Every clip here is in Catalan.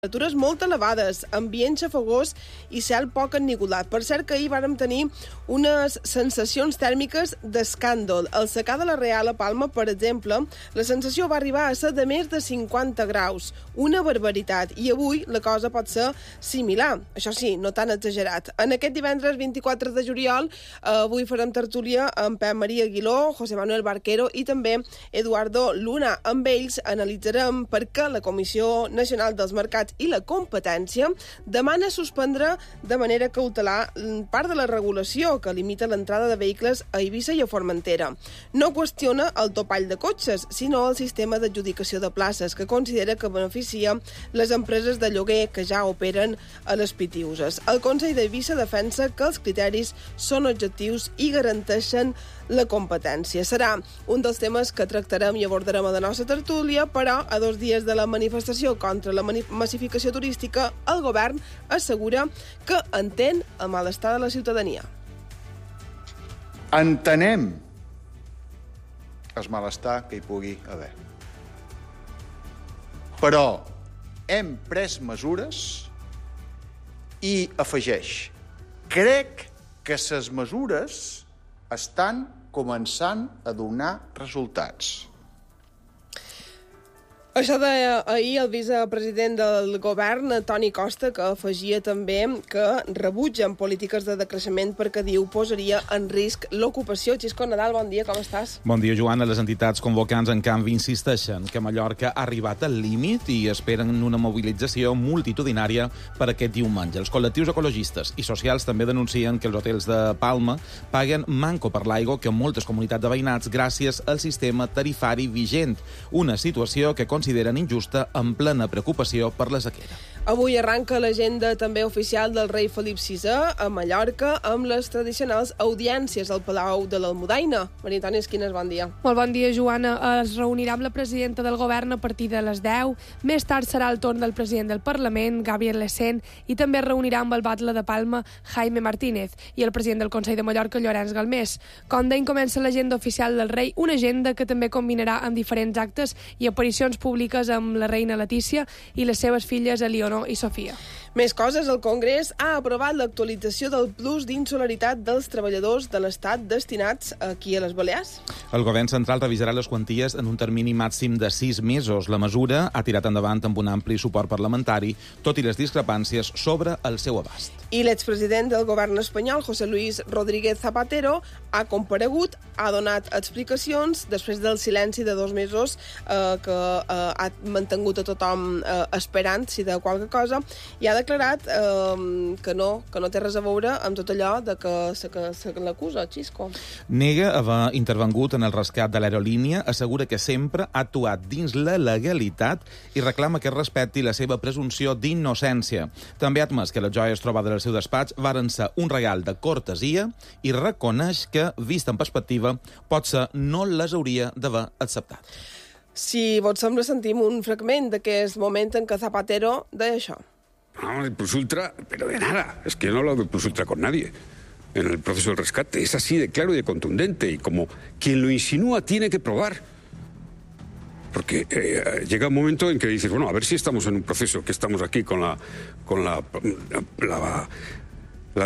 Temperatures molt elevades, ambient xafogós i cel poc ennigolat. Per cert que ahir vàrem tenir unes sensacions tèrmiques d'escàndol. Al secà de la Real a Palma, per exemple, la sensació va arribar a ser de més de 50 graus. Una barbaritat. I avui la cosa pot ser similar. Això sí, no tan exagerat. En aquest divendres 24 de juliol, avui farem tertúlia amb Pep Maria Aguiló, José Manuel Barquero i també Eduardo Luna. Amb ells analitzarem per què la Comissió Nacional dels Mercats i la Competència demana suspendre de manera cautelar part de la regulació que limita l'entrada de vehicles a Eivissa i a Formentera. No qüestiona el topall de cotxes, sinó el sistema d'adjudicació de places, que considera que beneficia les empreses de lloguer que ja operen a les Pitiuses. El Consell d'Eivissa defensa que els criteris són objectius i garanteixen la competència. Serà un dels temes que tractarem i abordarem a la nostra tertúlia, però a 2 dies de la manifestació contra la massificació turística, el govern assegura que entén el malestar de la ciutadania. Entenem el malestar que hi pugui haver. Però hem pres mesures i afegeix: crec que les mesures estan començant a donar resultats. Això deia ahir el vicepresident del govern, Toni Costa, que afegia també que rebutgen polítiques de decreixement perquè, diu, posaria en risc l'ocupació. Xisco Nadal, bon dia, com estàs? Bon dia, Joana. Les entitats convocants, en canvi, insisteixen que Mallorca ha arribat al límit i esperen una mobilització multitudinària per aquest diumenge. Els col·lectius ecologistes i socials també denuncien que els hotels de Palma paguen manco per l'aigua que moltes comunitats de veïnats gràcies al sistema tarifari vigent, una situació que consideren injusta en plena preocupació per la sequera. Avui arranca l'agenda també oficial del rei Felip VI a Mallorca amb les tradicionals audiències al Palau de l'Almudaina. Maria Antònia Esquines, bon dia. Molt bon dia, Joana. Es reunirà amb la presidenta del govern a partir de les 10. Més tard serà el torn del president del Parlament, Gabriel Lecén, i també es reunirà amb el batle de Palma, Jaime Martínez, i el president del Consell de Mallorca, Llorenç Galmés. Com deien, comença l'agenda oficial del rei, una agenda que també combinarà amb diferents actes i aparicions públiques amb la reina Letícia i les seves filles Elionor i Sofia. Més coses, el Congrés ha aprovat l'actualització del plus d'insolidaritat dels treballadors de l'Estat destinats aquí a les Balears. El govern central revisarà les quanties en un termini màxim de 6 mesos. La mesura ha tirat endavant amb un ampli suport parlamentari, tot i les discrepàncies sobre el seu abast. I l'expresident del govern espanyol, José Luis Rodríguez Zapatero, ha comparegut, ha donat explicacions després del silenci de 2 mesos que ha mantingut a tothom esperant si de qualque cosa, i ha declarat que no té res a veure amb tot allò de que se l'acusa, Xisco. Nega haver intervengut en el rescat de l'aerolínia, assegura que sempre ha actuat dins la legalitat i reclama que es respecti la seva presumpció d'innocència. També ha admès que les joies trobades al seu despatx varen ser un regal de cortesia i reconeix que, vist en perspectiva, potser no les hauria d'haver acceptat. Si vos sembla, sentim un fragment d'aquest moment en què Zapatero deia això. No, el plus ultra, pero de nada. Es que yo no he hablado del plus ultra con nadie en el proceso del rescate. Es así de claro y de contundente. Y como quien lo insinúa tiene que probar. Porque llega un momento en que dices, bueno, a ver si estamos en un proceso, que estamos aquí con la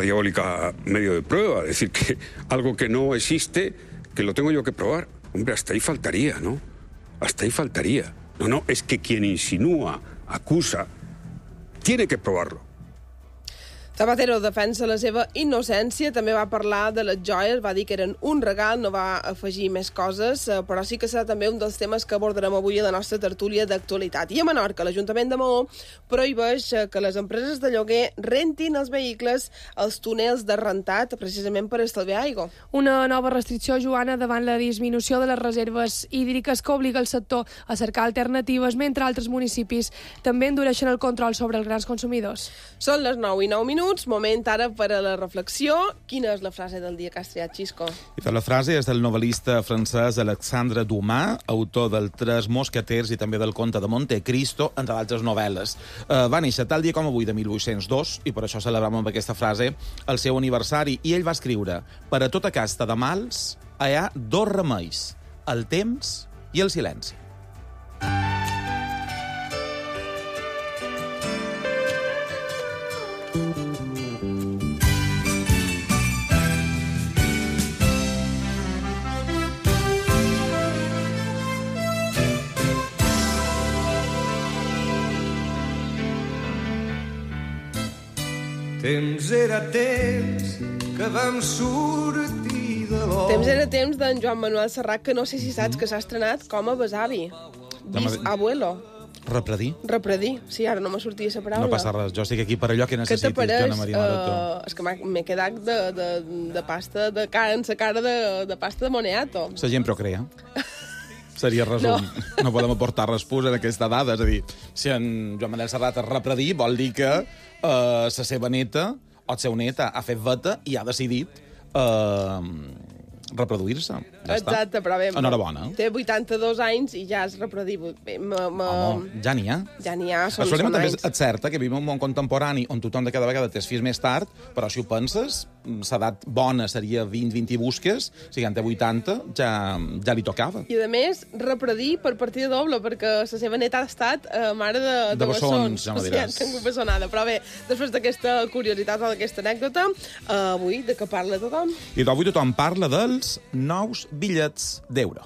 diabólica medio de prueba. Es decir, que algo que no existe, que lo tengo yo que probar. Hombre, hasta ahí faltaría, ¿no? Hasta ahí faltaría. No, es que quien insinúa, acusa, tiene que probarlo. Zapatero defensa la seva innocència, també va parlar de les joies, va dir que eren un regal, no va afegir més coses, però sí que serà també un dels temes que abordarem avui a la nostra tertúlia d'actualitat. I a Menorca, l'Ajuntament de Maó prohibeix que les empreses de lloguer rentin els vehicles als túnels de rentat, precisament per estalviar aigua. Una nova restricció, Joana, davant la disminució de les reserves hídriques que obliga el sector a cercar alternatives, mentre altres municipis també endureixen el control sobre els grans consumidors. Són les 9:09, moment ara per a la reflexió. Quina és la frase del dia que has triat, Xisco? La frase és del novel·lista francès Alexandre Dumas, autor del Tres Mosqueters i també del Conte de Montecristo, entre d'altres novel·les. Va néixer tal dia com avui de 1802, i per això celebrem amb aquesta frase el seu aniversari, i ell va escriure: per a tota casta de mals hi ha 2 remeis, el temps i el silenci. Temps era temps que vam sortir de l'or. Temps era temps d'en Joan Manuel Serrat, que no sé si saps que s'ha estrenat com a besavi. Abuelo. Repredir. Sí, ara no m'ha sortit la paraula. No passa res, jo estic aquí per allò que necessitis, Joana Maria Maroto. És que m'he quedat de pasta de cara en sa cara de pasta de moniato. La gent procrea. Seria resum. No podem aportar resposta en aquesta dada. És a dir, si en Joan Manuel Serrat es repredir, vol dir que la seva neta o el seu net ha fet veta i ha decidit reproduir-se. Ja Exacte, però bé... Enhorabona. Té 82 anys i ja es reprodir. Home, ja n'hi ha. Ja n'hi ha, són també anys. és cert que vivim en un món contemporani on tothom de cada vegada té fills més tard, però si ho penses, l'edat bona seria 20 busques, si en té 80 ja li tocava. I a més, repredir per partida doble, perquè la seva neta ha estat mare de bessons. Ja m'ho diràs. Sí, tinc bessonada. Però bé, després d'aquesta curiositat o d'aquesta anècdota, avui de què parla tothom? I avui tothom parla dels nous bitllets d'euro.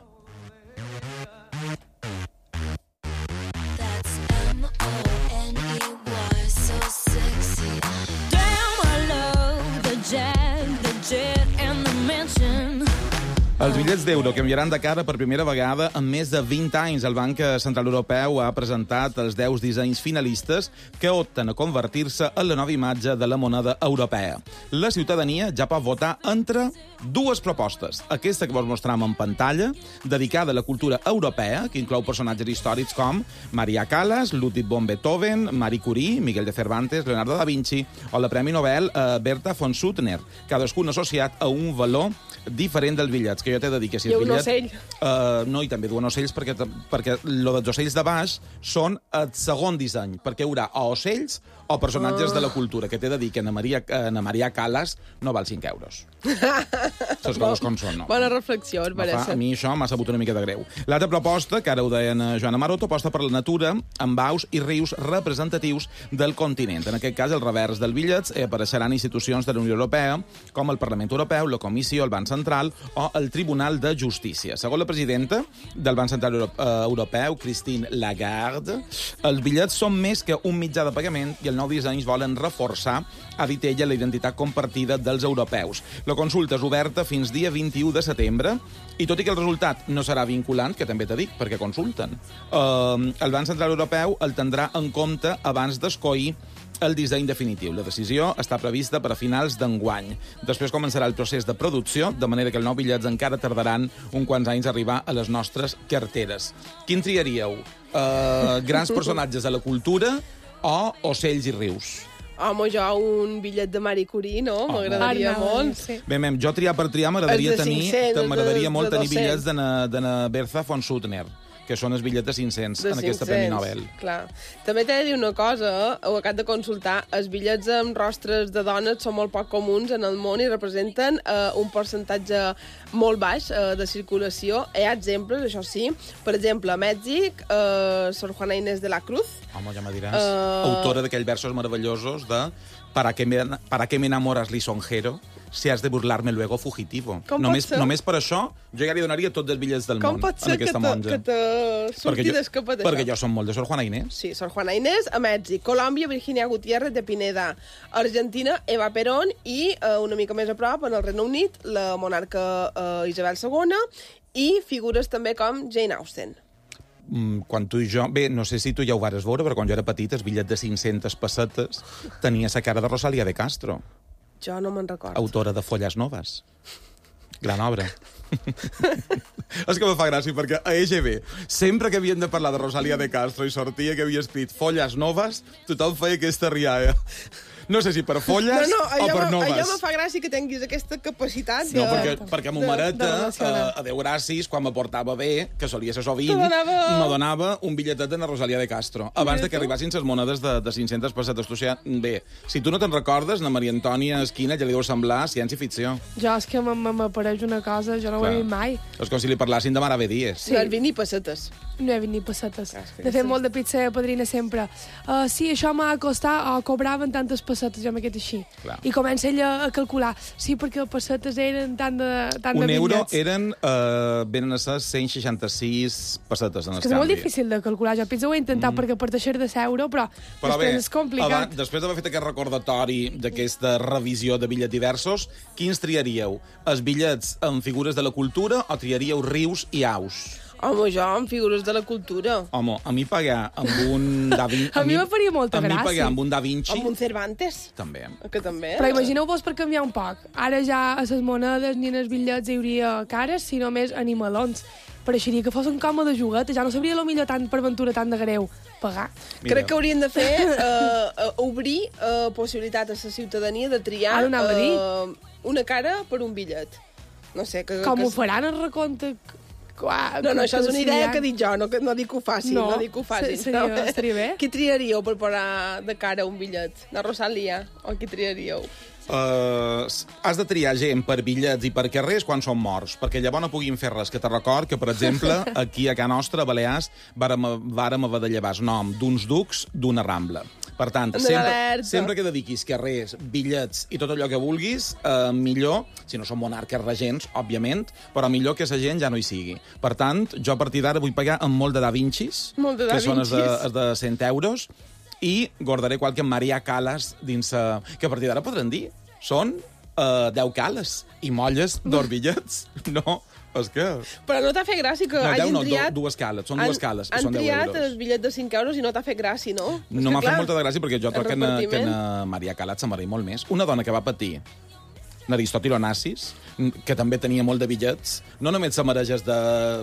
Els bitllets d'euro canviaran de cara per primera vegada en més de 20 anys. El Banc Central Europeu ha presentat els 10 dissenys finalistes que opten a convertir-se en la nova imatge de la moneda europea. La ciutadania ja pot votar entre dues propostes. Aquesta que vos mostrem en pantalla, dedicada a la cultura europea, que inclou personatges històrics com Maria Callas, Ludwig von Beethoven, Marie Curie, Miguel de Cervantes, Leonardo da Vinci o la Premi Nobel Berta von Suttner, cadascun associat a un valor diferent dels bitllets, que jo t'he de dir que si el bitllet... ocell. No, i també duen ocells perquè lo dels ocells de baix són el segon disseny, perquè hi haurà o ocells o personatges de la cultura, que t'he de dir que Ana Maria Callas no val 5 euros. Les coses com són, no? Bona reflexió, es mereix. A mi això m'ha sabut una mica de greu. L'altra proposta, que ara ho deien Joana Maroto, aposta per la natura amb aus i rius representatius del continent. En aquest cas, el revers del bitllet apareixeran institucions de la Unió Europea, com el Parlament Europeu, la Comissió, el Banc Central o el Tribunal de Justícia. Segons la presidenta del Banc Central Europeu, Christine Lagarde, els bitllets són més que un mitjà de pagament i el nou disseny volen reforçar, ha dit ella, la identitat compartida dels europeus. La consulta és oberta fins dia 21 de setembre i tot i que el resultat no serà vinculant, que també t'he dit, perquè consulten, el Banc Central Europeu el tindrà en compte abans d'escollir el disseny definitiu. La decisió està prevista per a finals d'enguany. Després començarà el procés de producció, de manera que els nous bitllets encara tardaran uns quants anys a arribar a les nostres carteres. Quin triaríeu? Grans personatges de la cultura o ocells i rius? Home, jo un bitllet de Marie Curie, no? M'agradaria molt. Sí. Bé, jo triar per triar m'agradaria molt tenir bitllets de Berta von Suttner, que són els bitllets de 500 en aquesta Premi Nobel. Clar. També t'he de dir una cosa, ho acabo de consultar, els bitllets amb rostres de dones són molt poc comuns en el món i representen un percentatge molt baix de circulació. Hi ha exemples, això sí. Per exemple, a Mèxic, Sor Juana Inés de la Cruz. Home, ja me diràs. Autora d'aquells versos meravellosos de ¿Para qué me enamoras lisonjero? Si has de burlarme luego fugitivo. Només per això jo ja li donaria tots els bitllets del món a aquesta monja. Com pot ser que te surti d'escapat d'això? Perquè jo som molt de Sor Juana Inés. Sí, Sor Juana Inés a Mèxic, Colòmbia, Virginia Gutiérrez de Pineda, Argentina, Eva Perón i una mica més a prop, en el Regne Unit, la monarca Isabel II i figures també com Jane Austen. Quan tu i jo... Bé, no sé si tu ja ho vares veure, però quan jo era petit, el bitllet de 500 pessetes tenia la cara de Rosalía de Castro. Jo no me'n recordo. Autora de Folles Noves. Gran obra. És que me fa gràcia, perquè a EGB, sempre que havien de parlar de Rosalía de Castro i sortia que havia escrit Folles Noves, tothom feia aquesta rialla. No sé si per folles o per noves. Allò me fa gràcia que tinguis aquesta capacitat No, perquè mo mareta, a Déu gràcies, quan me portava bé, que solia ser sovint, me donava un bitlletet de la Rosalía de Castro, abans de que arribassin les monedes de 500 pessetes. Tu, bé, si tu no te'n recordes, la Maria Antònia Esquina ja li deu semblar ciència-ficció. Jo és que m'apareix una cosa, jo no ho he vist mai. És com si li parlassin de Mare Dies. Sí. No has vist ni pessetes. No he vist ni pessetes. De fet, molt de pizza padrina sempre. Sí, això m'ha costat, o cobraven tantes pessetes pessetes, jo m'he quedat així. Clar. I comença ella a calcular, sí, perquè els pessetes eren tant de Un euro bitllets. eren, venen a ser 166 pessetes en el És que és molt difícil de calcular. Jo penso ho he intentat perquè per deixar de ser euro, però després és complicat. Després d'haver fet aquest recordatori d'aquesta revisió de bitllets diversos, quins triaríeu? Els bitllets amb figures de la cultura o triaríeu rius i aus? Home, jo, amb figures de la cultura. Home, a mi pagar amb un Da Vinci... A mi me faria molta A mi gràcia. pagar amb un Da Vinci... Amb un Cervantes. També. Que també. Però imagineu-vos per canviar un poc. Ara ja a les monedes ni en els bitllets hi hauria cares, sinó més animalons. Pareixeria que fos un coma de juguete. Ja no sabria millor tant per aventura tan de greu pagar. Mira. Crec que haurien de fer obrir possibilitat a la ciutadania de triar Ara ho anava a dir. una cara per un bitllet. No sé, Com ho faran el recompte? No, això és una idea que dic jo, no dic que ho facin. No, no dic que ho facin. estaria bé. Qui triaríeu per posar de cara un bitllet? La Rosalia? O qui triaríeu? Has de triar gent per bitllets i per carrers quan són morts, perquè llavors no puguin fer res. Que te record que, per exemple, aquí a Can Nostra, a Balears, vàrem haver de llevar el nom d'uns ducs d'una rambla. Per tant, sempre que dediquis carrers, bitllets i tot allò que vulguis, millor, si no són monarques regents, òbviament, però millor que la gent ja no hi sigui. Per tant, jo a partir d'ara vull pagar amb molt de Da Vincis, que són els de 100 euros, i guardaré qualque Maria Callas dins... que a partir d'ara podran dir. Són 10 cales i molles d'orbillets. No, és que... Però no t'ha fet gràcia que no, hagin 10 no, triat... dues cales, són dues cales, i són 10 euros. Han triat el bitllet de 5 euros i no t'ha fet gràcia, no? No m'ha fet molta de gràcia perquè jo crec que en Maria Callas se'n va dir molt més. Una dona que va patir l'Aristòtil Onassis, que també tenia molt de bitllets, no només se mereixes de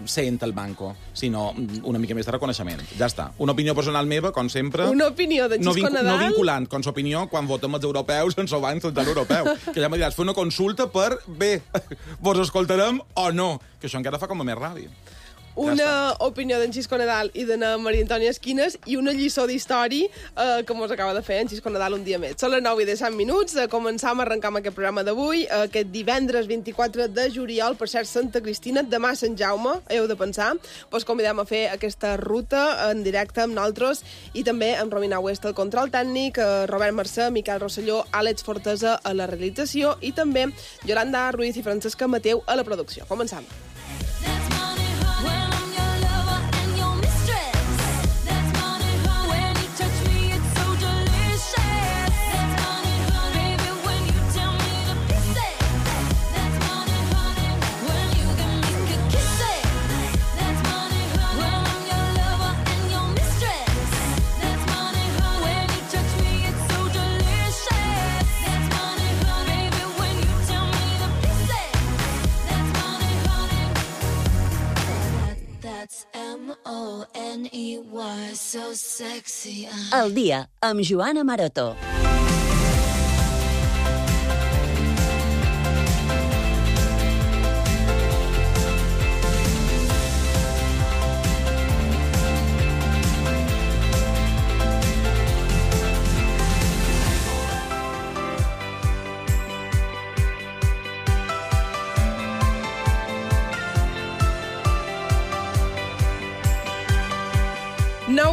100 al banco, sinó una mica més de reconeixement. Ja està. Una opinió personal meva, com sempre... Una opinió d'en Xisco Nadal... No vinculant, com s'opinió quan votem els europeus en el Banc Central Europeu. Que ja me diràs, fer una consulta per... Bé, vos escoltarem o no? Que això encara fa com a més ràbia. Una opinió d'en Xisco Nadal i de Maria Antònia Esquines i una lliçó d'història que mos acaba de fer en Xisco Nadal un dia més. Són les 9:10 minuts. Començam a arrencar amb aquest programa d'avui, aquest divendres 24 de juliol, per cert, Santa Cristina, demà Sant Jaume, heu de pensar. Vos convidem a fer aquesta ruta en directe amb nosaltres i també amb Romina West al control tècnic, Robert Mercè, Miquel Rosselló, Àlex Fortesa a la realització i també Yolanda Ruiz i Francesca Mateu a la producció. Començam. M-O-N-E-Y, so sexy. El dia amb Joana Maroto.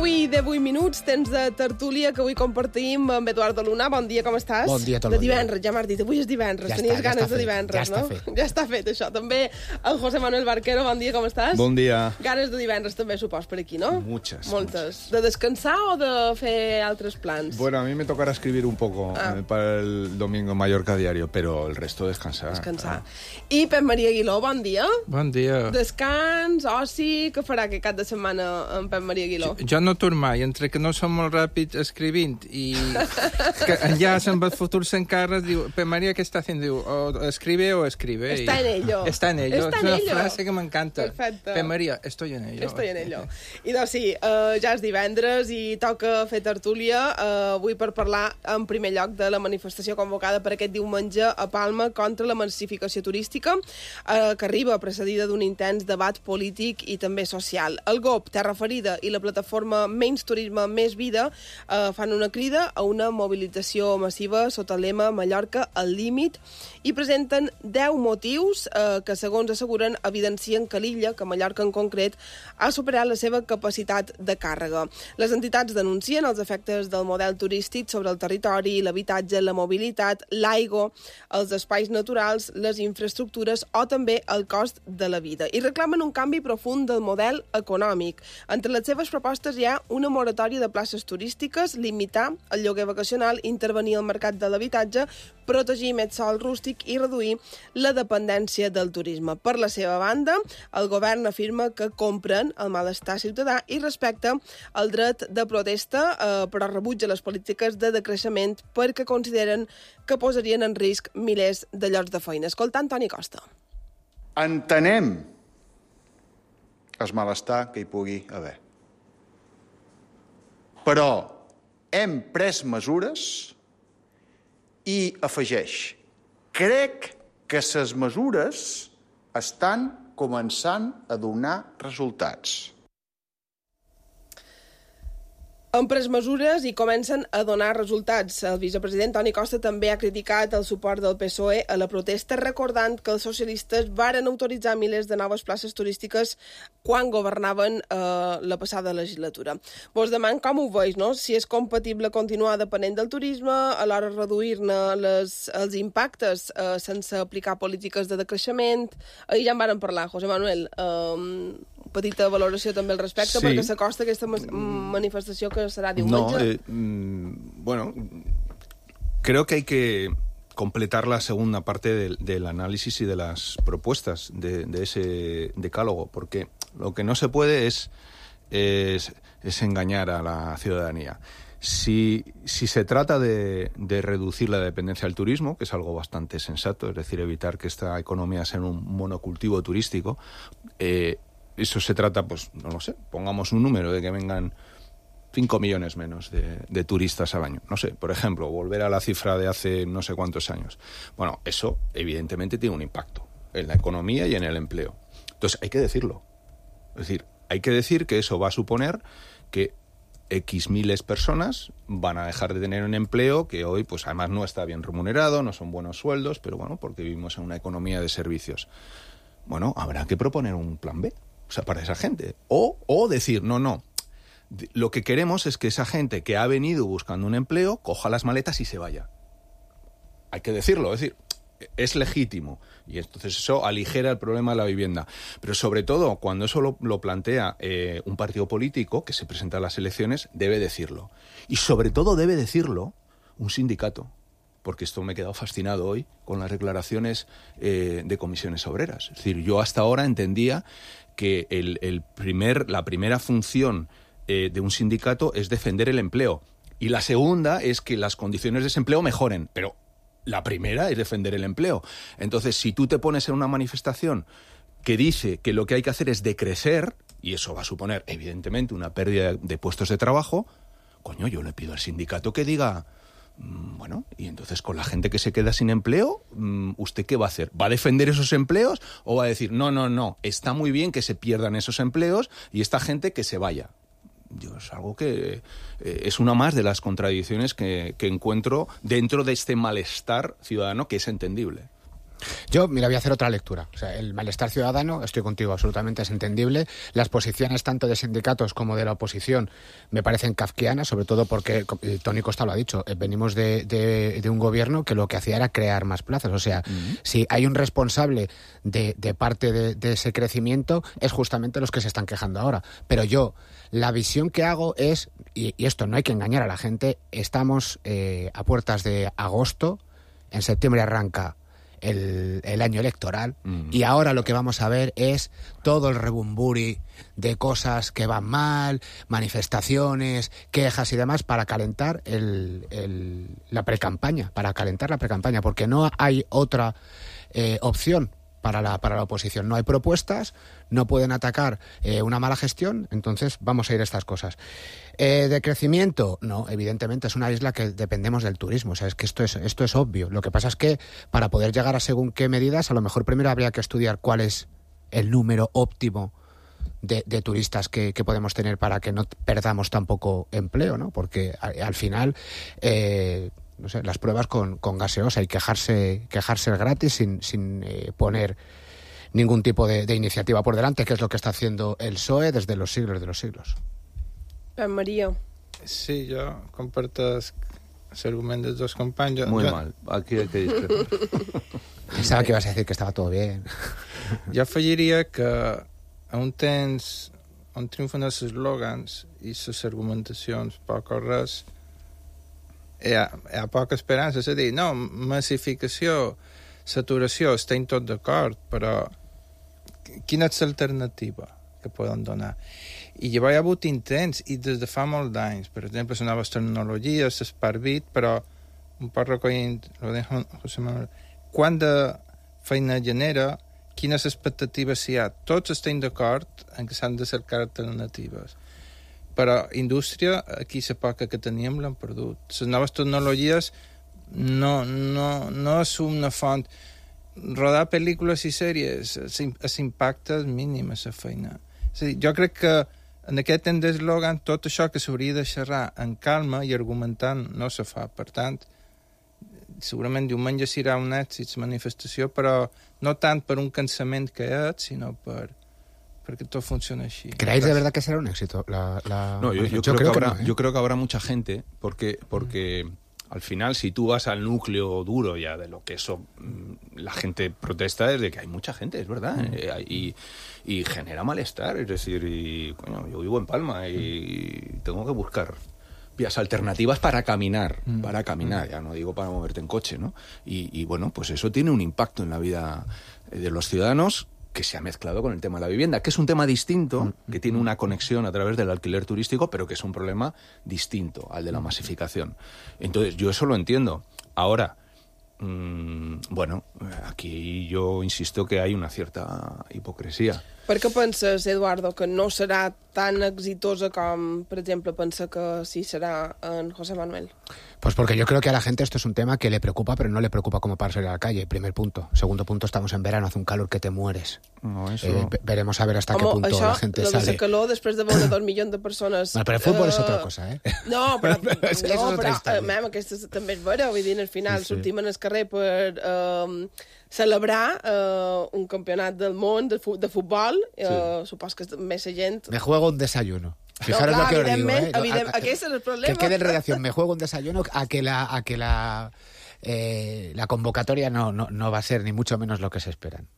I de 8 minuts, temps de tertúlia que avui compartim amb Eduardo Luna. Bon dia, com estàs? Bon dia, tot el dia. De divendres, ja m'has dit, avui és divendres. Ja Tenies està, ganes de fet, divendres, ja no? Està fet. Ja està fet, això. També en José Manuel Barquero, bon dia, com estàs? Bon dia. Ganes de divendres també, supos, per aquí, no? Muchas. De descansar o de fer altres plans? Bueno, a mí me tocará escribir un poco para el domingo en Mallorca diario, pero el resto descansar. I Pep Maria Aguiló, bon dia. Bon dia. Descans, oci, què farà aquest cap de setmana en Pep Maria Aguiló? Jo no torno mai, entre que no som molt ràpid escrivint i que ja se'n va fotre-se en cara, diu, Pep Maria, què està fent? Diu, o escribe o escribe. Está en ello. Está en ello. Está és en una ello. frase que m'encanta. Perfecte. Pep Maria, estoy en ello. Estoy en ello. I doncs sí, ja és divendres i toca fer tertúlia avui per parlar en primer lloc de la manifestació convocada per aquest diumenge a Palma contra la massificació turística que arriba precedida d'un intens debat polític i també social. El GOP, Terra Ferida i la plataforma menys turisme, més vida, fan una crida a una mobilització massiva sota el lema Mallorca al límit i presenten 10 motius que, segons asseguren, evidencien que l'illa, que Mallorca en concret, ha superat la seva capacitat de càrrega. Les entitats denuncien els efectes del model turístic sobre el territori, l'habitatge, la mobilitat, l'aigua, els espais naturals, les infraestructures o també el cost de la vida. I reclamen un canvi profund del model econòmic. Entre les seves propostes hi ha una moratòria de places turístiques, limitar el lloguer vacacional, intervenir al mercat de l'habitatge, protegir més sòl rústic i reduir la dependència del turisme. Per la seva banda, el govern afirma que compren el malestar ciutadà i respecta el dret de protesta, però rebutja les polítiques de decreixement perquè consideren que posarien en risc milers de llocs de feina. Escolta Antoni Costa. Entenem el malestar que hi pugui haver. Però hem pres mesures i afegeix: crec que les mesures estan començant a donar resultats. Han pres mesures i comencen a donar resultats. El vicepresident Toni Costa també ha criticat el suport del PSOE a la protesta, recordant que els socialistes varen autoritzar milers de noves places turístiques quan governaven la passada legislatura. Vos deman com ho veus, no? Si és compatible continuar depenent del turisme, alhora reduir-ne els impactes sense aplicar polítiques de decreixement. Ahir ja en varen parlar, José Manuel. Petita valoració també al respecte, sí, perquè s'acosta aquesta manifestació que serà diumenge. Bueno, creo que hay que completar la segunda parte del análisis y de las propuestas de ese decálogo, porque lo que no se puede es engañar a la ciudadanía. Si se trata de reducir la dependencia del turismo, que es algo bastante sensato, es decir, evitar que esta economía sea un monocultivo turístico, eso se trata, pues, no lo sé, pongamos un número de que vengan 5 millones menos de turistas al año. No sé, por ejemplo, volver a la cifra de hace no sé cuántos años. Bueno, eso evidentemente tiene un impacto en la economía y en el empleo. Entonces hay que decirlo. Es decir, hay que decir que eso va a suponer que X miles personas van a dejar de tener un empleo que hoy, pues además no está bien remunerado, no son buenos sueldos, pero bueno, porque vivimos en una economía de servicios. Bueno, habrá que proponer un plan B, o sea, para esa gente. O decir, no. Lo que queremos es que esa gente que ha venido buscando un empleo coja las maletas y se vaya. Hay que decirlo, es decir, es legítimo. Y entonces eso aligera el problema de la vivienda. Pero sobre todo, cuando eso lo plantea un partido político que se presenta a las elecciones, debe decirlo. Y sobre todo debe decirlo un sindicato. Porque esto me he quedado fascinado hoy con las declaraciones de comisiones obreras. Es decir, yo hasta ahora entendía que la primera función de un sindicato es defender el empleo. Y la segunda es que las condiciones de ese empleo mejoren. Pero la primera es defender el empleo. Entonces, si tú te pones en una manifestación que dice que lo que hay que hacer es decrecer, y eso va a suponer, evidentemente, una pérdida de puestos de trabajo, coño, yo le pido al sindicato que diga... Bueno, y entonces con la gente que se queda sin empleo, ¿usted qué va a hacer? ¿Va a defender esos empleos o va a decir, no, está muy bien que se pierdan esos empleos y esta gente que se vaya? Es algo que es una más de las contradicciones que encuentro dentro de este malestar ciudadano que es entendible. Yo, mira, voy a hacer otra lectura. O sea, el malestar ciudadano, estoy contigo, absolutamente es entendible. Las posiciones tanto de sindicatos como de la oposición me parecen kafkianas, sobre todo porque, Toni Costa lo ha dicho, venimos de un gobierno que lo que hacía era crear más plazas. O sea, si hay un responsable de parte de ese crecimiento, es justamente los que se están quejando ahora. Pero yo, la visión que hago es, y esto no hay que engañar a la gente, estamos a puertas de agosto, en septiembre arranca el año electoral y ahora lo que vamos a ver es todo el rebumburi de cosas que van mal, manifestaciones, quejas y demás para calentar la precampaña, porque no hay otra opción para la oposición. No hay propuestas, no pueden atacar una mala gestión, entonces vamos a ir a estas cosas. ¿De crecimiento? No, evidentemente es una isla que dependemos del turismo, o sea, es que esto es obvio. Lo que pasa es que para poder llegar a según qué medidas, a lo mejor primero habría que estudiar cuál es el número óptimo de turistas que podemos tener para que no perdamos tampoco empleo, ¿no? Porque al final, no sé, las pruebas con gaseosa y quejarse gratis sin poner ningún tipo de iniciativa por delante, que es lo que está haciendo el PSOE desde los siglos de los siglos. María. Sí, jo comparto l'argument dels dos companys. Muy mal, aquí hay que discrepar. Pensaba que ibas a decir que estava tot bé. Jo afegiria que on triomfen els eslògans i les argumentacions poc o res, hi ha poca esperança. És a dir, no, massificació, saturació, estem tots d'acord, però quina és l'alternativa que poden donar? I llavors hi ha hagut intents, i des de fa molts anys, per exemple, les noves tecnologies, l'Smart-Bit, però un poc recollint José Manuel, quant de feina genera, quines expectatives hi ha. Tots estem d'acord en que s'han de cercar alternatives. Però indústria, aquí la poca que teníem l'han perdut. Les noves tecnologies no és una font. Rodar pel·lícules i sèries, l'impacte és mínim a la feina. És a dir, jo crec que en aquest temps d'eslògan tot això que s'hauria de xerrar en calma i argumentant no se fa. Per tant, segurament diumenge serà un èxit la manifestació, però no tant per un cansament que és, sinó porque todo funciona así. ¿Creéis de verdad que será un éxito? No, yo creo que habrá mucha gente, porque al final, si tú vas al núcleo duro ya de lo que eso la gente protesta, es de que hay mucha gente, es verdad, y genera malestar. Es decir, coño, yo vivo en Palma y tengo que buscar vías alternativas para caminar, ya no digo para moverte en coche, ¿no? Y bueno, pues eso tiene un impacto en la vida de los ciudadanos, que se ha mezclado con el tema de la vivienda, que es un tema distinto, que tiene una conexión a través del alquiler turístico, pero que es un problema distinto al de la masificación. Entonces, yo eso lo entiendo. Ahora, bueno, aquí yo insisto que hay una cierta hipocresía. Per què penses, Eduardo, que no serà tan exitosa com, per exemple, pensa que sí serà en José Manuel? Pues porque yo creo que a la gente esto es un tema que le preocupa, pero no le preocupa como para salir a la calle. Primer punto. Segundo punto, estamos en verano, hace un calor que te mueres. No, eso... veremos a ver hasta qué punto la gente sale. Això, calor, després de veure 2 milions de persones... Bueno, però el futbol és altra cosa, eh? No, però aquesta també és vera. Vull dir, al final sortim en el carrer per celebrar un campionat del món de futbol. Supos que més gent... Me juego un desayuno. Fijaros lo que os digo, aquest és el problema. Que quede en redacción, me juego un desayuno a que la convocatoria no va a ser ni mucho menos lo que se esperan.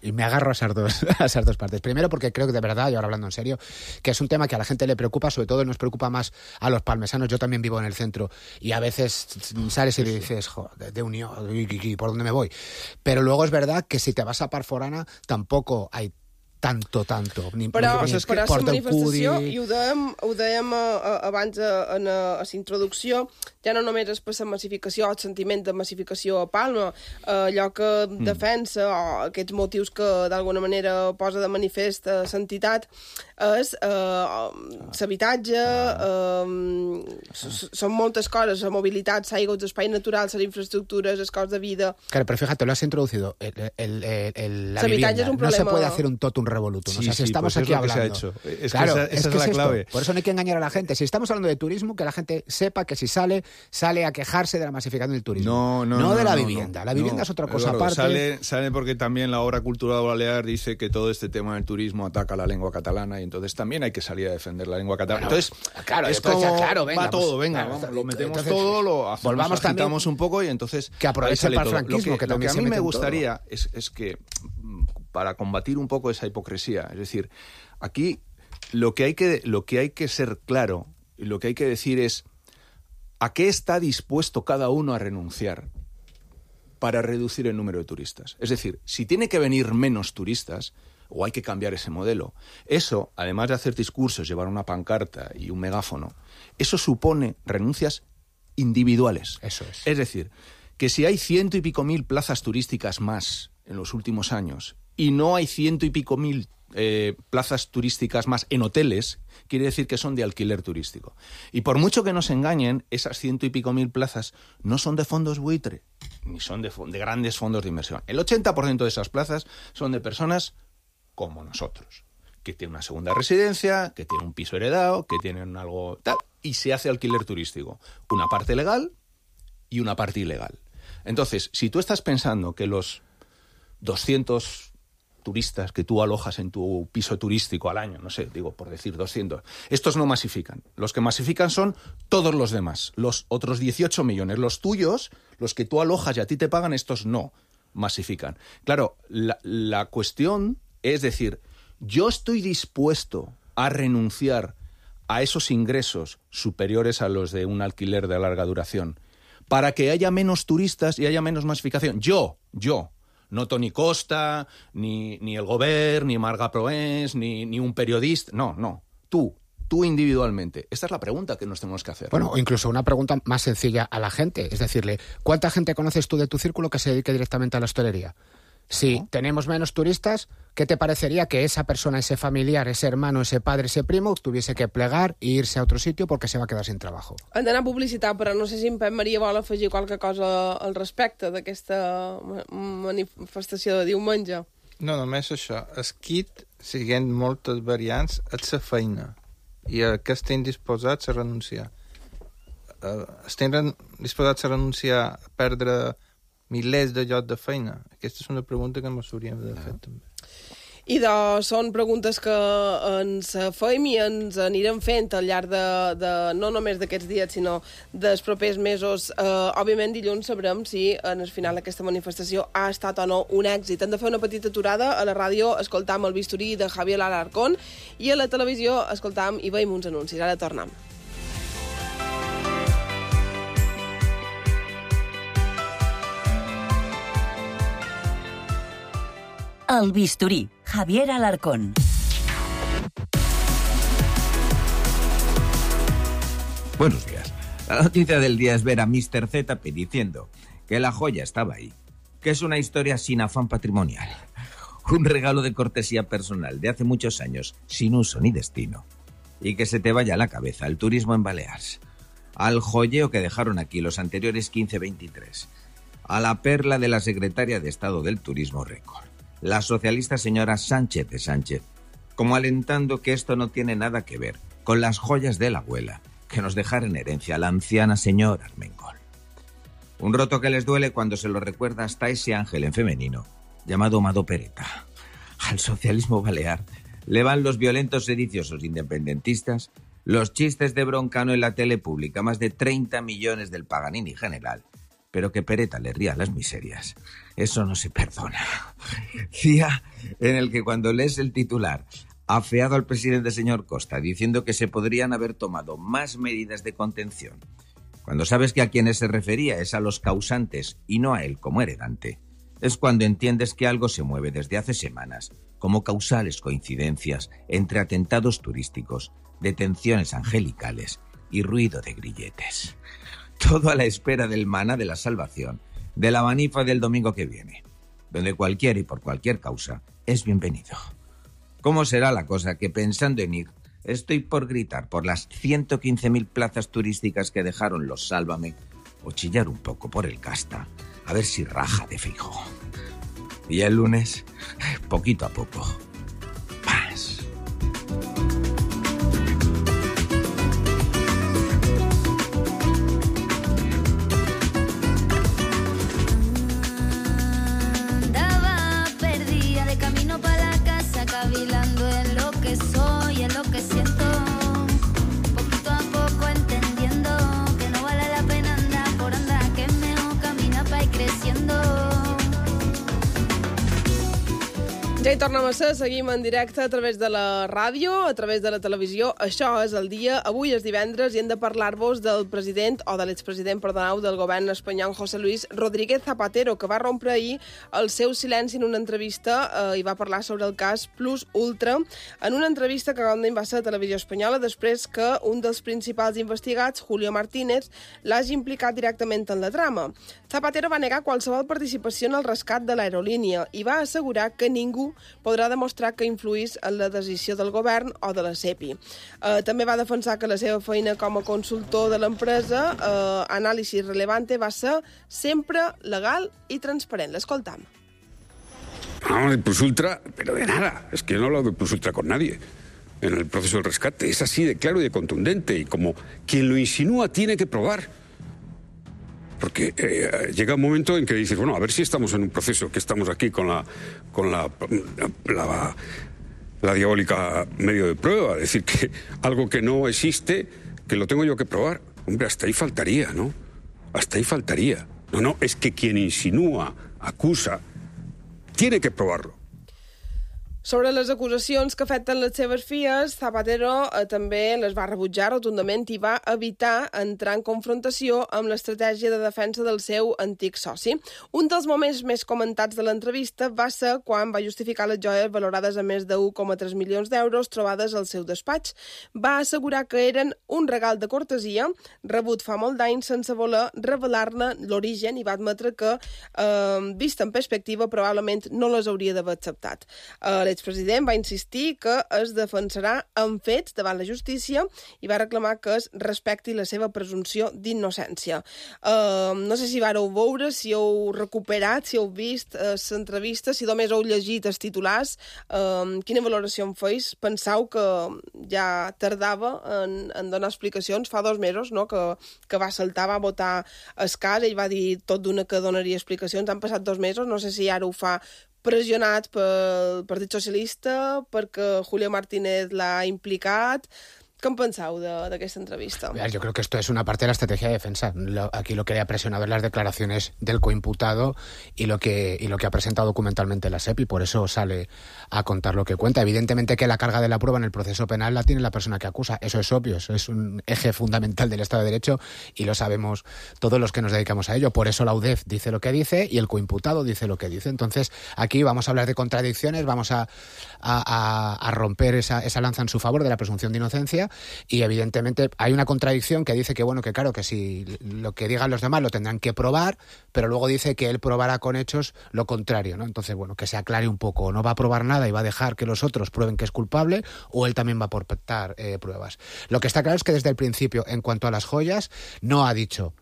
Y me agarro a esas dos partes. Primero porque creo que de verdad, y ahora hablando en serio, que es un tema que a la gente le preocupa, sobre todo nos preocupa más a los palmesanos. Yo también vivo en el centro y a veces sales y le dices, joder, de Unión, ¿por dónde me voy? Pero luego es verdad que si te vas a Parforana tampoco hay tanto. Però la manifestació, i ho dèiem abans en la introducció, ja no només és per la massificació o el sentiment de massificació a Palma, allò que defensa o aquests motius que d'alguna manera posa de manifest l'entitat és l'habitatge, són moltes coses, la mobilitat, l'aigua, els espais naturals, les infraestructures, els cost de vida... Claro, pero fíjate, lo has introducido, la vivienda, es un problema. No se puede hacer un totum revolutum. Sí, o sea, si estamos pues aquí es lo hablando... que se ha hecho. Claro, esa es la clave. Por eso no hay que engañar a la gente. Si estamos hablando de turismo, que la gente sepa que si sale a quejarse de la masificación del turismo. No de la vivienda. La vivienda es otra cosa aparte. Sale porque también la obra cultural balear dice que todo este tema del turismo ataca la lengua catalana y entonces también hay que salir a defender la lengua catalana. Bueno, entonces, claro, es como venga, va todo, vamos, lo metemos todo, lo hacemos, volvamos agitamos un poco y entonces... Que aproveche el franquismo, que también lo que a mí me gustaría es que, para combatir un poco esa hipocresía, es decir, aquí lo que hay que ser claro y lo que hay que decir es a qué está dispuesto cada uno a renunciar para reducir el número de turistas. Es decir, si tiene que venir menos turistas, o hay que cambiar ese modelo. Eso, además de hacer discursos, llevar una pancarta y un megáfono, eso supone renuncias individuales. Eso es. Es decir, que si hay 100 y pico mil plazas turísticas más en los últimos años y no hay 100 y pico mil plazas turísticas más en hoteles, quiere decir que son de alquiler turístico. Y por mucho que nos engañen, esas 100 y pico mil plazas no son de fondos buitre, ni son de grandes fondos de inversión. El 80% de esas plazas son de personas como nosotros. que tiene una segunda residencia, que tiene un piso heredado, que tienen algo tal, y se hace alquiler turístico. Una parte legal y una parte ilegal. Entonces, si tú estás pensando que los 200 turistas que tú alojas en tu piso turístico al año, no sé, digo por decir 200, estos no masifican. Los que masifican son todos los demás, los otros 18 millones. Los tuyos, los que tú alojas y a ti te pagan, estos no masifican. Claro, la cuestión es decir, yo estoy dispuesto a renunciar a esos ingresos superiores a los de un alquiler de larga duración para que haya menos turistas y haya menos masificación. Yo, no Toni Costa, ni el Govern, ni Marga Proens, ni un periodista. No. Tú individualmente. Esta es la pregunta que nos tenemos que hacer. Bueno, o incluso una pregunta más sencilla a la gente. Es decirle, ¿cuánta gente conoces tú de tu círculo que se dedique directamente a la hostelería? Si tenemos menos turistas, ¿qué te parecería que esa persona, ese familiar, ese hermano, ese padre, ese primo, tuviese que plegar e irse a otro sitio porque se va a quedar sin trabajo? Han d'anar a publicitat, però no sé si en Pep Maria vol afegir qualque cosa al respecte d'aquesta manifestació de diumenge. No, només això. El kit, siguent moltes variants, és la feina. I a què estem disposats a renunciar? Estem disposats a renunciar a perdre milers de llocs de feina? Aquesta és una pregunta que ens hauríem de fer també. I són preguntes que ens fem i ens anirem fent al llarg de no només d'aquests dies, sinó dels propers mesos. Òbviament, dilluns sabrem si en el final d'aquesta manifestació ha estat o no un èxit. Hem de fer una petita aturada. A la ràdio escoltam el bisturí de Javier Alarcón i a la televisió escoltam i veiem uns anuncis. Ara tornem. El bisturí, Javier Alarcón. Buenos días. La noticia del día es ver a Mr. Z diciendo que la joya estaba ahí, que es una historia sin afán patrimonial, un regalo de cortesía personal de hace muchos años, sin uso ni destino, y que se te vaya a la cabeza el turismo en Baleares, al joyeo que dejaron aquí los anteriores 15-23, a la perla de la secretaria de Estado del Turismo Récord, la socialista señora Sánchez de Sánchez, como alentando que esto no tiene nada que ver con las joyas de la abuela que nos dejara en herencia la anciana señora Armengol. Un roto que les duele cuando se lo recuerda hasta ese ángel en femenino llamado Mado Pereta. Al socialismo balear le van los violentos sediciosos independentistas, los chistes de Broncano en la tele pública, más de 30 millones del Paganini general, pero que Pereta le ría las miserias. Eso no se perdona. Día en el que cuando lees el titular, afeado al presidente señor Costa, diciendo que se podrían haber tomado más medidas de contención, cuando sabes que a quienes se refería es a los causantes y no a él como heredante, es cuando entiendes que algo se mueve desde hace semanas, como causales coincidencias entre atentados turísticos, detenciones angelicales y ruido de grilletes. Todo a la espera del maná de la salvación, de la manifa del domingo que viene, donde cualquiera y por cualquier causa es bienvenido. ¿Cómo será la cosa que, pensando en ir, estoy por gritar por las 115.000 plazas turísticas que dejaron los Sálvame o chillar un poco por el Casta, a ver si raja de Feijóo? Y el lunes, poquito a poco, más. Ja hi tornem a ser, seguim en directe a través de la ràdio, a través de la televisió. Això és el dia, avui és divendres, i hem de parlar-vos del president, o de l'expresident, perdoneu, del govern espanyol, José Luis Rodríguez Zapatero, que va rompre ahir el seu silenci en una entrevista i va parlar sobre el cas Plus Ultra, en una entrevista que va ser a Televisió Espanyola després que un dels principals investigats, Julio Martínez, l'hagi implicat directament en la trama. Zapatero va negar qualsevol participació en el rescat de l'aerolínia i va assegurar que ningú podrà demostrar que influís en la decisió del govern o de la SEPI. També va defensar que la seva feina com a consultor de l'empresa, Anàlisi Relevante, va ser sempre legal i transparent. L'escoltam. Hablamos de Plus Ultra, pero de nada. Es que yo no he hablado de Plus Ultra con nadie en el proceso del rescate. Es así de claro y de contundente. Y como quien lo insinúa tiene que probar. Porque llega un momento en que dices, bueno, a ver si estamos en un proceso, que estamos aquí con la diabólica medio de prueba. Es decir, que algo que no existe, que lo tengo yo que probar. Hombre, hasta ahí faltaría, ¿no? Hasta ahí faltaría. No, es que quien insinúa, acusa, tiene que probarlo. Sobre les acusacions que afecten les seves filles, Zapatero també les va rebutjar rotundament i va evitar entrar en confrontació amb l'estratègia de defensa del seu antic soci. Un dels moments més comentats de l'entrevista va ser quan va justificar les joies valorades a més de 1,3 milions d'euros trobades al seu despatx. Va assegurar que eren un regal de cortesia rebut fa molt d'anys sense voler revelar-ne l'origen i va admetre que, vist en perspectiva, probablement no les hauria d'haver acceptat. L'expresident va insistir que es defensarà amb fets davant la justícia i va reclamar que es respecti la seva presumpció d'innocència. No sé si vareu veure, si heu recuperat, si heu vist l'entrevista, si només heu llegit els titulars. Quina valoració en feis? Penseu que ja tardava en donar explicacions? Fa 2 mesos, no?, que va saltar, va votar el cas, ell va dir tot d'una que donaria explicacions. Han passat 2 mesos, no sé si ara ho fa pressionat pel Partit Socialista, perquè Julio Martínez l'ha implicat. ¿Qué pensado de esta entrevista? Yo creo que esto es una parte de la estrategia de defensa. Aquí lo que le ha presionado es las declaraciones del coimputado y lo que ha presentado documentalmente la SEPI, por eso sale a contar lo que cuenta. Evidentemente que la carga de la prueba en el proceso penal la tiene la persona que acusa. Eso es obvio, eso es un eje fundamental del Estado de Derecho y lo sabemos todos los que nos dedicamos a ello. Por eso la UDEF dice lo que dice y el coimputado dice lo que dice. Entonces, aquí vamos a hablar de contradicciones, vamos a romper esa lanza en su favor de la presunción de inocencia. Y evidentemente hay una contradicción que dice que bueno, que claro, que si lo que digan los demás lo tendrán que probar, pero luego dice que él probará con hechos lo contrario, ¿no? Entonces, bueno, que se aclare un poco, no va a probar nada y va a dejar que los otros prueben que es culpable, o él también va a aportar pruebas. Lo que está claro es que desde el principio, en cuanto a las joyas, no ha dicho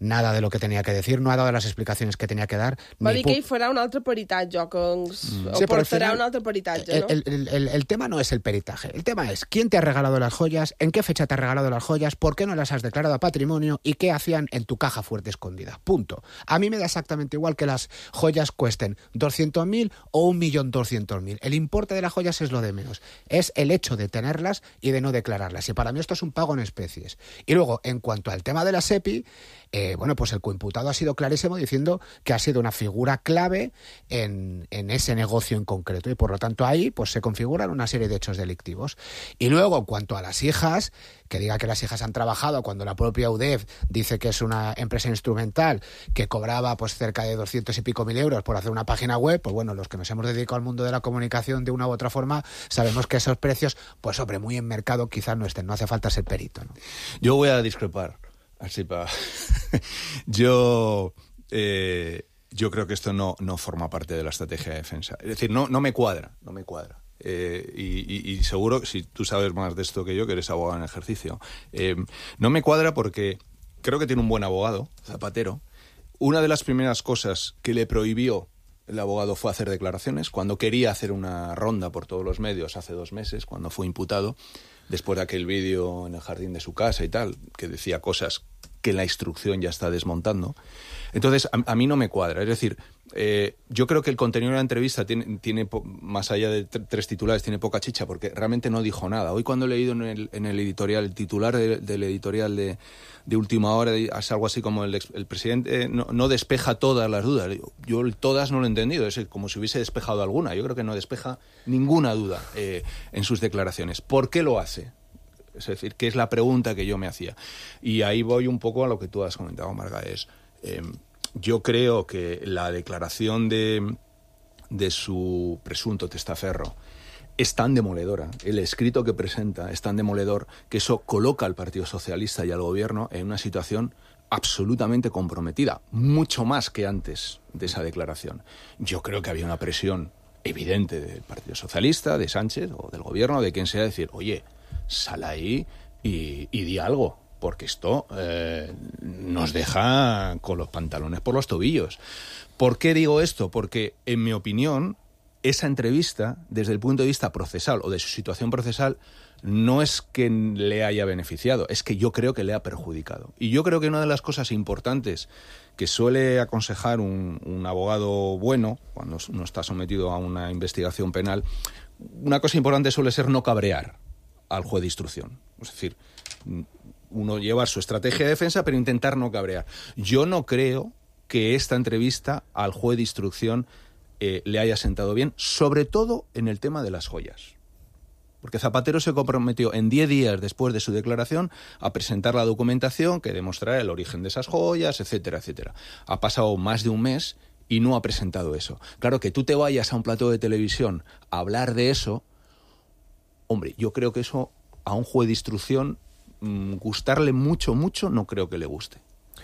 nada de lo que tenía que decir, no ha dado las explicacions que tenia que dar. Va dir que hi farà un altre peritatge, o que portarà un altre peritatge, ¿no? El tema no es el peritaje, el tema es quién te ha regalado las joyas, en qué fecha te ha regalado las joyas, por qué no las has declarado a patrimonio y qué hacían en tu caja fuerte escondida. Punto. A mí me da exactamente igual que las joyas cuesten 200.000 o 1.200.000. El importe de las joyas es lo de menos. Es el hecho de tenerlas y de no declararlas. Y para mí esto es un pago en especies. Y luego, en cuanto al tema de la SEPI, bueno, pues el coimputado ha sido clarísimo diciendo que ha sido una figura clave en ese negocio en concreto y por lo tanto ahí pues se configuran una serie de hechos delictivos. Y luego, en cuanto a las hijas, que diga que las hijas han trabajado cuando la propia UDEF dice que es una empresa instrumental que cobraba pues cerca de 200 y pico mil euros por hacer una página web, pues bueno, los que nos hemos dedicado al mundo de la comunicación de una u otra forma sabemos que esos precios, pues hombre, muy en mercado quizás no estén, no hace falta ser perito, ¿no? Yo voy a discrepar. Así para... Yo creo que esto no forma parte de la estrategia de defensa. Es decir, no me cuadra. Y seguro, si tú sabes más de esto que yo, que eres abogado en ejercicio, no me cuadra porque creo que tiene un buen abogado, Zapatero. Una de las primeras cosas que le prohibió el abogado fue hacer declaraciones. Cuando quería hacer una ronda por todos los medios hace 2 meses, cuando fue imputado, después de aquel vídeo en el jardín de su casa y tal, que decía cosas que la instrucción ya está desmontando. Entonces, a mí no me cuadra. Es decir, yo creo que el contenido de la entrevista tiene más allá de 3 titulares, tiene poca chicha, porque realmente no dijo nada. Hoy cuando he leído en el editorial, el titular del editorial de Última Hora, es algo así como el presidente no despeja todas las dudas. Yo todas no lo he entendido, es como si hubiese despejado alguna. Yo creo que no despeja ninguna duda en sus declaraciones. ¿Por qué lo hace? Es decir, ¿qué es la pregunta que yo me hacía? Y ahí voy un poco a lo que tú has comentado, Marga. Yo creo que la declaración de su presunto testaferro es tan demoledora, el escrito que presenta es tan demoledor, que eso coloca al Partido Socialista y al Gobierno en una situación absolutamente comprometida, mucho más que antes de esa declaración. Yo creo que había una presión evidente del Partido Socialista, de Sánchez o del Gobierno, de quien sea, decir, oye, sal ahí y di algo, porque esto nos deja con los pantalones por los tobillos. ¿Por qué digo esto? Porque, en mi opinión, esa entrevista, desde el punto de vista procesal o de su situación procesal, no es que le haya beneficiado, es que yo creo que le ha perjudicado. Y yo creo que una de las cosas importantes que suele aconsejar un abogado bueno, cuando uno está sometido a una investigación penal, una cosa importante suele ser no cabrear al juez de instrucción. Es decir, uno lleva su estrategia de defensa, pero intentar no cabrear. Yo no creo que esta entrevista al juez de instrucción le haya sentado bien, sobre todo en el tema de las joyas. Porque Zapatero se comprometió en 10 días después de su declaración a presentar la documentación que demostrara el origen de esas joyas, etcétera, etcétera. Ha pasado más de un mes y no ha presentado eso. Claro, que tú te vayas a un plató de televisión a hablar de eso, hombre, yo creo que eso a un juez de instrucción gustarle mucho, no creo que le guste.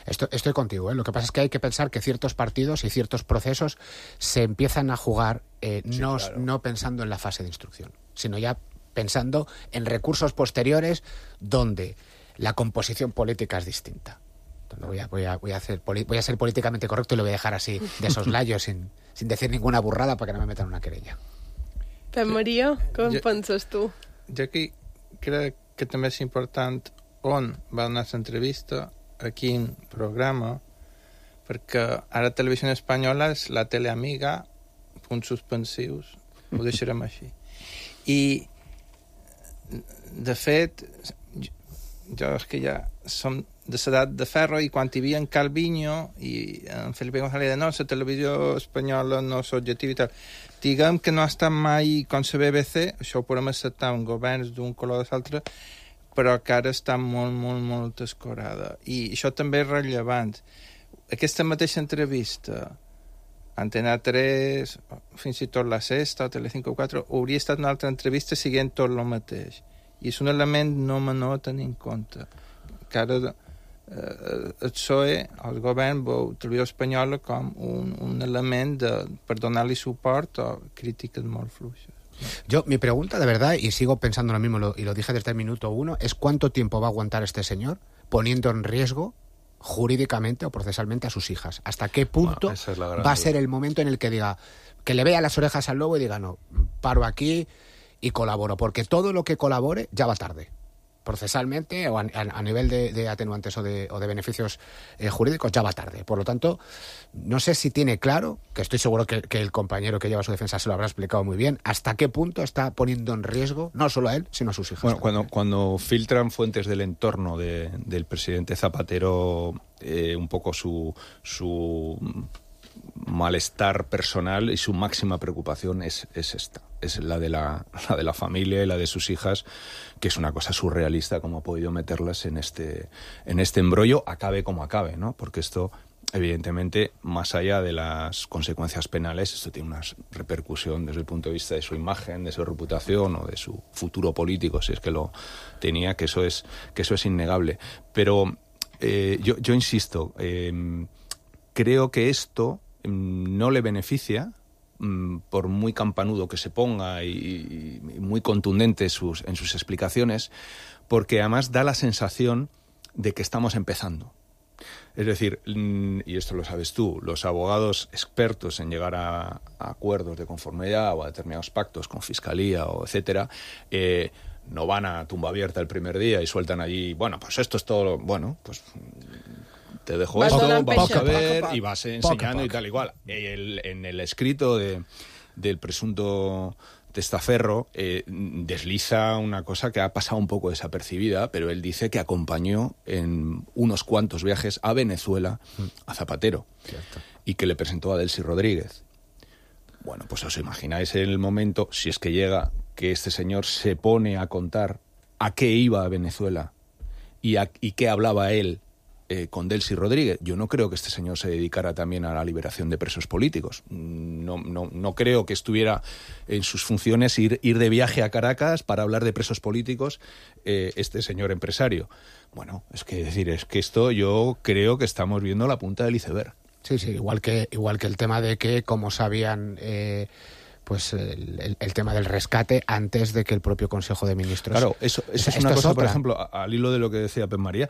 Estoy contigo, ¿eh? Lo que pasa es que hay que pensar que ciertos partidos y ciertos procesos se empiezan a jugar no pensando en la fase de instrucción, sino ya pensando en recursos posteriores donde la composición política es distinta. Entonces voy a ser políticamente correcto y lo voy a dejar así, de soslayo, sin decir ninguna burrada para que no me metan una querella. Pep Maria, com penses tu? Jo aquí crec que també és important on va donar l'entrevista, a quin programa, perquè ara Televisió Espanyola és la teleamiga, punts suspensius, ho deixarem així. I de fet, jo és que ja som de l'edat de ferro i quan hi havia en Calviño i en Felipe González no, la televisió espanyola no és objectiva i tal. Diguem que no ha estat mai com la BBC, això ho podem acceptar en governs d'un color o de l'altre, però que ara està molt escorada. I això també és rellevant. Aquesta mateixa entrevista Antena 3, fins i tot la Sexta o Telecinco 4, hauria estat una altra entrevista siguent tot el mateix. I és un element no menor a tenir en compte. Que ara el PSOE, el govern, veu Televisió Espanyola com un element per donar-li suport a crítiques molt fluixes. Mi pregunta, de verdad, y sigo pensando lo mismo, y lo dije desde el minuto 1, es cuánto tiempo va a aguantar este señor poniendo en riesgo jurídicamente o procesalmente a sus hijas. ¿Hasta qué punto va a ser el momento en el que diga, que le vea las orejas al lobo y diga, no, paro aquí y colaboro? Porque todo lo que colabore ya va tarde, procesalmente o a nivel de atenuantes o de beneficios jurídicos, ya va tarde. Por lo tanto, no sé si tiene claro, que estoy seguro que el compañero que lleva su defensa se lo habrá explicado muy bien, hasta qué punto está poniendo en riesgo no solo a él, sino a sus hijas. Bueno, cuando filtran fuentes del entorno del presidente Zapatero un poco su malestar personal y su máxima preocupación es esta. Es la de la familia y la de sus hijas, que es una cosa surrealista cómo ha podido meterlas en este embrollo, acabe como acabe, ¿no? Porque esto, evidentemente, más allá de las consecuencias penales, esto tiene una repercusión desde el punto de vista de su imagen, de su reputación o de su futuro político, si es que lo tenía, que eso es innegable. Pero yo insisto, creo que esto no le beneficia, por muy campanudo que se ponga y muy contundente en sus explicaciones, porque además da la sensación de que estamos empezando. Es decir, y esto lo sabes tú, los abogados expertos en llegar a acuerdos de conformidad o a determinados pactos con Fiscalía o etcétera, no van a tumba abierta el primer día y sueltan allí, bueno, pues esto es todo, bueno, pues te dejo esto, vamos a ver, y vas enseñando y tal igual. En el escrito del presunto testaferro desliza una cosa que ha pasado un poco desapercibida, pero él dice que acompañó en unos cuantos viajes a Venezuela a Zapatero. Cierto. Y que le presentó a Delcy Rodríguez. Bueno, pues os imagináis en el momento, si es que llega, que este señor se pone a contar a qué iba a Venezuela y qué hablaba él con Delcy Rodríguez. Yo no creo que este señor se dedicara también a la liberación de presos políticos. No creo que estuviera en sus funciones ir de viaje a Caracas para hablar de presos políticos este señor empresario. Bueno, es que esto yo creo que estamos viendo la punta del iceberg. Sí, igual que el tema de que, como sabían, pues el tema del rescate antes de que el propio Consejo de Ministros... Claro, eso es una cosa, por ejemplo, al hilo de lo que decía Pep Maria.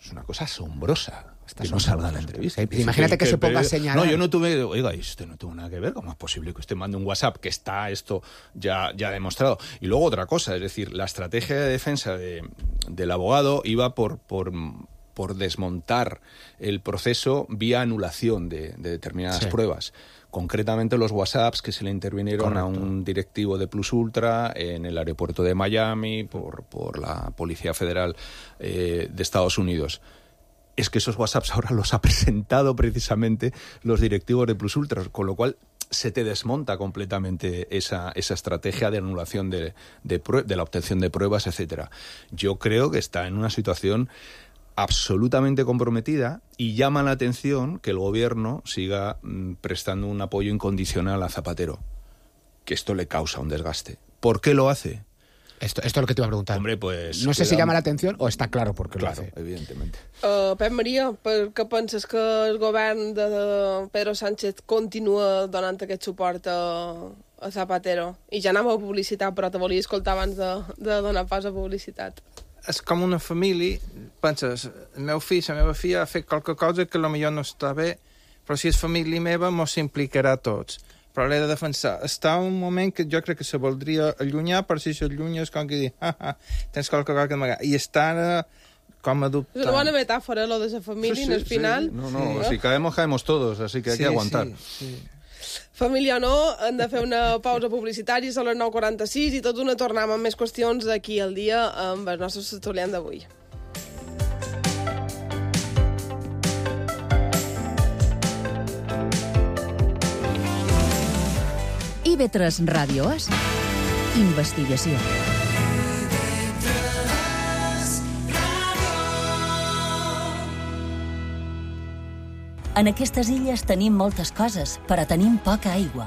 Es una cosa asombrosa. Que no salga la entrevista. Imagínate que se ponga a señalar. No, yo no tuve... Oiga, esto no tuvo nada que ver. ¿Cómo es posible que usted mande un WhatsApp que está esto ya demostrado? Y luego otra cosa, es decir, la estrategia de defensa del abogado iba por desmontar el proceso vía anulación de determinadas pruebas. Concretamente los WhatsApps que se le intervinieron a un directivo de Plus Ultra en el aeropuerto de Miami por la Policía Federal de Estados Unidos. Es que esos WhatsApps ahora los ha presentado precisamente los directivos de Plus Ultra, con lo cual se te desmonta completamente esa estrategia de anulación de la obtención de pruebas, etcétera. Yo creo que está en una situación absolutamente comprometida y llama la atención que el gobierno siga prestando un apoyo incondicional a Zapatero, que esto le causa un desgaste. ¿Por qué lo hace? Esto es lo que te iba a preguntar. Hombre, pues... No sé si llama la atención o està clar per què lo hace. Claro, evidentemente. Pep Maria, per què penses que el govern de Pedro Sánchez continua donant aquest suport a Zapatero? I ja anava a publicitat, però te volia escoltar abans de donar pas a publicitat. És com una família, penses, el meu fill, la meva filla ha fet qualque cosa que potser no està bé, però si és família meva mos s'implicarà a tots. Però l'he de defensar. Està un moment que jo crec que se voldria allunyar, però si s'allunya és com que dir, tens qualque cosa que amagar. I està com a dubtant. És una bona metàfora, lo de la família, en el final. No, si caemos todos, así que hay que aguantar. Sí. Família o no, hem de fer una pausa publicitària, són les 9:46 i tot d'una tornem amb més qüestions d'aquí al dia amb els nostres tertulians d'avui. IB3 Ràdio és investigació. En aquestes illes tenim moltes coses, però tenim poca aigua.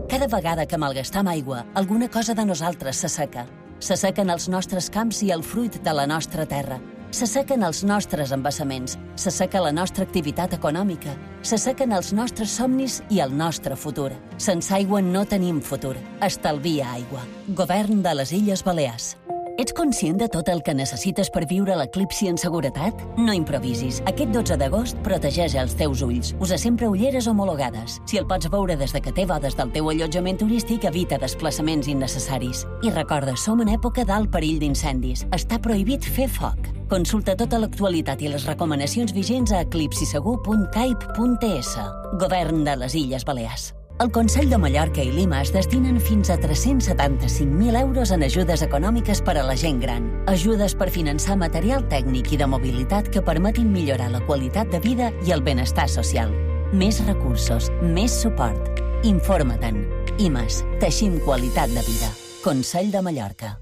Cada vegada que malgastam aigua, alguna cosa de nosaltres s'asseca. S'assequen els nostres camps i el fruit de la nostra terra. S'assequen els nostres embassaments, s'asseca la nostra activitat econòmica, s'assequen els nostres somnis i el nostre futur. Sense aigua no tenim futur. Estalvia aigua. Govern de les Illes Balears. Ets conscient de tot el que necessites per viure l'eclipsi en seguretat? No improvisis. Aquest 12 d'agost protegeix els teus ulls. Usa sempre ulleres homologades. Si el pots veure des de que té bodes del teu allotjament turístic, evita desplaçaments innecessaris. I recorda, som en època d'alt perill d'incendis. Està prohibit fer foc. Consulta tota l'actualitat i les recomanacions vigents a eclipsisegur.caip.es. Govern de les Illes Balears. El Consell de Mallorca i Lima es destinen fins a 375.000 euros en ajudes econòmiques per a la gent gran. Ajudes per finançar material tècnic i de mobilitat que permetin millorar la qualitat de vida i el benestar social. Més recursos, més suport. Informa-te'n. IMAS. Teixim qualitat de vida. Consell de Mallorca.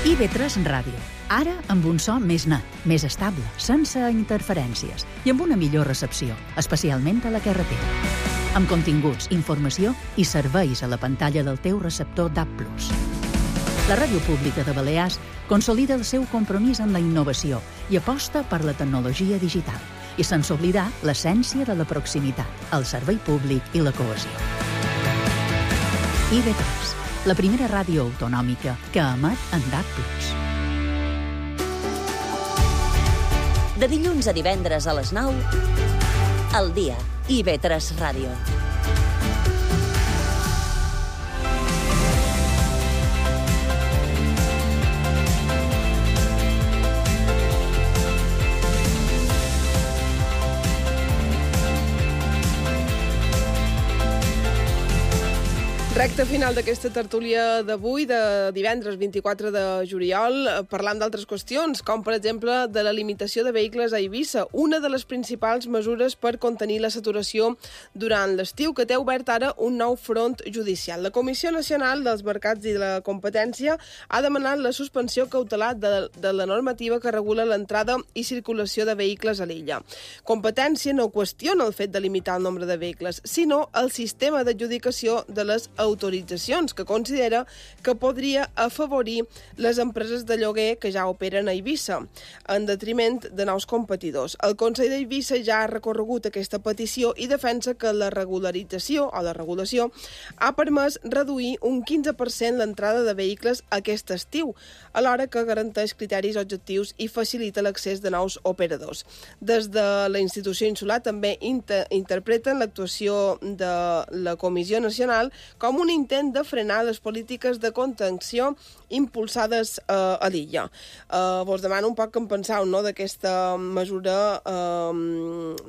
IB3 Ràdio. Ara amb un so més net, més estable, sense interferències i amb una millor recepció, especialment a la carretera. Amb continguts, informació i serveis a la pantalla del teu receptor DAB+. La Ràdio Pública de Balears consolida el seu compromís en la innovació i aposta per la tecnologia digital, i sense oblidar l'essència de la proximitat, el servei públic i la cohesió. IB3, la primera ràdio autonòmica que emet en DAB+. De dilluns a divendres a les 9, al dia, IB3 Ràdio. Recte final d'aquesta tertúlia d'avui, de divendres 24 de juliol, parlant d'altres qüestions, com per exemple de la limitació de vehicles a Eivissa, una de les principals mesures per contenir la saturació durant l'estiu, que té obert ara un nou front judicial. La Comissió Nacional dels Mercats i de la Competència ha demanat la suspensió cautelar de la normativa que regula l'entrada i circulació de vehicles a l'illa. Competència no qüestiona el fet de limitar el nombre de vehicles, sinó el sistema d'adjudicació de les autoritzacions, que considera que podria afavorir les empreses de lloguer que ja operen a Eivissa, en detriment de nous competidors. El Consell d'Eivissa ja ha recorregut aquesta petició i defensa que la regularització o la regulació ha permès reduir un 15% l'entrada de vehicles aquest estiu, alhora que garanteix criteris objectius i facilita l'accés de nous operadors. Des de la institució insular també interpreten l'actuació de la Comissió Nacional com un intent de frenar les polítiques de contenció impulsades a l'illa. Vos demano un poc que en penseu, no?, d'aquesta mesura,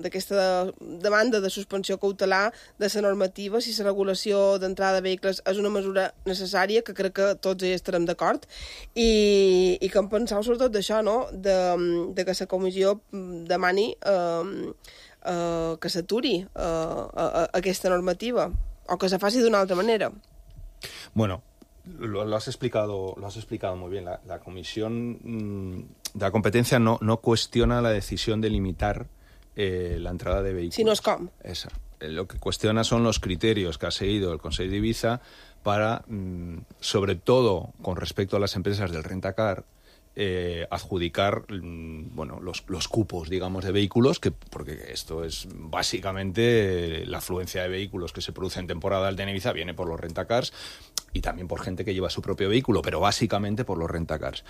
d'aquesta demanda de suspensió cautelar de la normativa, si la regulació d'entrada de vehicles és una mesura necessària, que crec que tots hi estarem d'acord, i que en penseu sobretot d'això, no?, de que la comissió demani que s'aturi aquesta normativa, o que se faci d'una altra manera. Bueno, lo has explicado muy bien. La Comisión de la Competencia no cuestiona la decisión de limitar la entrada de vehículos. Sino es com. Esa. Lo que cuestiona son los criterios que ha seguido el Consell d'Eivissa para, sobre todo con respecto a las empresas del rentacar, adjudicar los cupos, digamos, de vehículos, porque esto es básicamente la afluencia de vehículos que se produce en temporada alta en Ibiza viene por los rentacars y también por gente que lleva su propio vehículo, pero básicamente por los rentacars.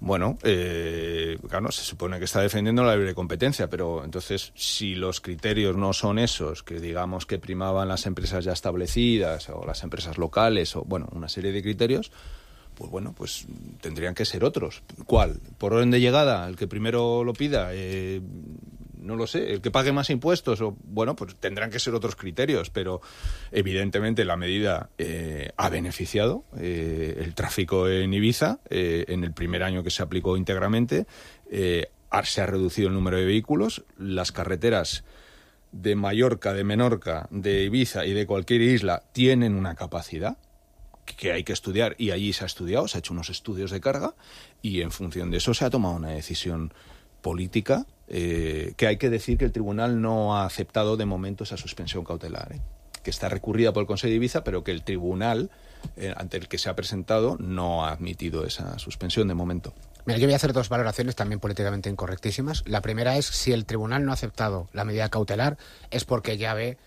Bueno, claro, se supone que está defendiendo la libre competencia, pero entonces si los criterios no son esos, que digamos que primaban las empresas ya establecidas o las empresas locales, o bueno, una serie de criterios, pues bueno, pues tendrían que ser otros. ¿Cuál? ¿Por orden de llegada? ¿El que primero lo pida? No lo sé. ¿El que pague más impuestos? O bueno, pues tendrán que ser otros criterios, pero evidentemente la medida ha beneficiado el tráfico en Ibiza. En el primer año que se aplicó íntegramente se ha reducido el número de vehículos. Las carreteras de Mallorca, de Menorca, de Ibiza y de cualquier isla tienen una capacidad que hay que estudiar, y allí se ha estudiado, se ha hecho unos estudios de carga, y en función de eso se ha tomado una decisión política, que hay que decir que el tribunal no ha aceptado de momento esa suspensión cautelar, que está recurrida por el Consell d'Eivissa, pero que el tribunal ante el que se ha presentado no ha admitido esa suspensión de momento. Mira, yo voy a hacer dos valoraciones también políticamente incorrectísimas. La primera es, si el tribunal no ha aceptado la medida cautelar, es porque ya ve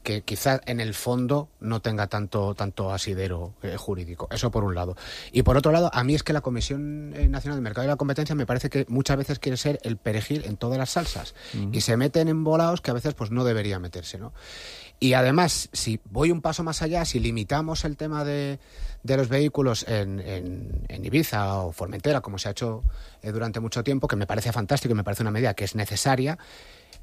que quizás en el fondo no tenga tanto asidero jurídico. Eso por un lado. Y por otro lado, a mí es que la Comisión Nacional del Mercado y la Competencia me parece que muchas veces quiere ser el perejil en todas las salsas. Y se meten en embolados que a veces pues no debería meterse, ¿no? Y además, si voy un paso más allá, si limitamos el tema de los vehículos en Ibiza o Formentera, como se ha hecho durante mucho tiempo, que me parece fantástico y me parece una medida que es necesaria,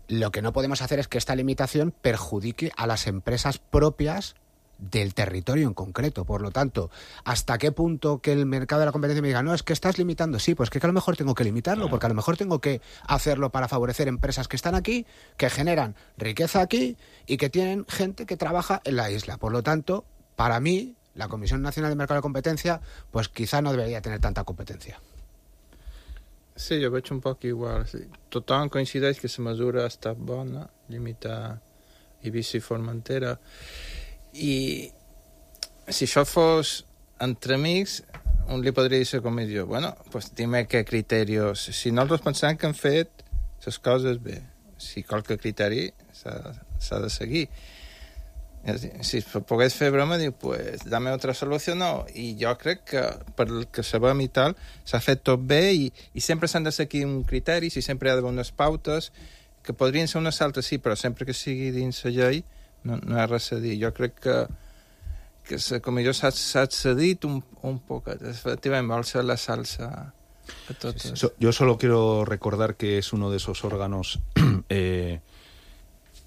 lo que no podemos hacer es que esta limitación perjudique a las empresas propias del territorio en concreto. Por lo tanto, ¿hasta qué punto que el mercado de la competencia me diga, no, es que estás limitando? Sí, pues que a lo mejor tengo que limitarlo, porque a lo mejor tengo que hacerlo para favorecer empresas que están aquí, que generan riqueza aquí y que tienen gente que trabaja en la isla. Por lo tanto, para mí, la Comisión Nacional del Mercado de la Competencia, pues quizá no debería tener tanta competencia. Sí, jo veig un poc igual. Sí. Tothom coincideix que la mesura ha estat bona, limitar Eivissa i Formentera. I si això fos entre amics, un li podria dir a la comissió, bueno, pues dime què criteris. Si nosaltres pensem que han fet les coses bé, si qualque criteri s'ha de seguir. Si pogués fer broma, diu, pues dame otra solució, no. I jo crec que, pel que sabem i tal, s'ha fet tot bé i sempre s'han de seguir un criteris i sempre hi ha d'haver unes pautes que podrien ser unes altres, sí, però sempre que sigui dins la llei no hi ha res a dir. Jo crec que la comissió s'ha cedit un poquet. Efectivament, vol ser la salsa a totes. Sí. Yo solo quiero recordar que es uno de esos órganos que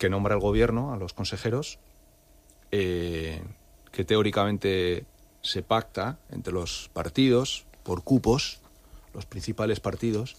nombra el gobierno a los consejeros, que teóricamente se pacta entre los partidos por cupos, los principales partidos,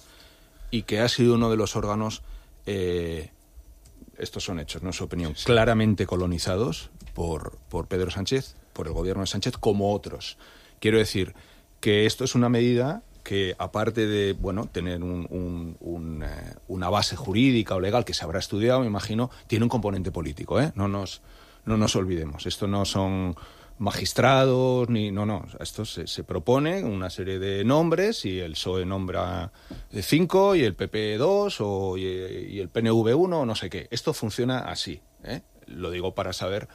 y que ha sido uno de los órganos, estos son hechos, no es opinión, claramente colonizados por Pedro Sánchez, por el gobierno de Sánchez, como otros. Quiero decir que esto es una medida que, aparte de tener una base jurídica o legal que se habrá estudiado, me imagino, tiene un componente político, ¿eh? No nos olvidemos. Esto no son magistrados, ni... No. Esto se propone una serie de nombres y el PSOE nombra 5 y el PP 2 y el PNV 1 no sé qué. Esto funciona así, ¿eh? Lo digo para saber...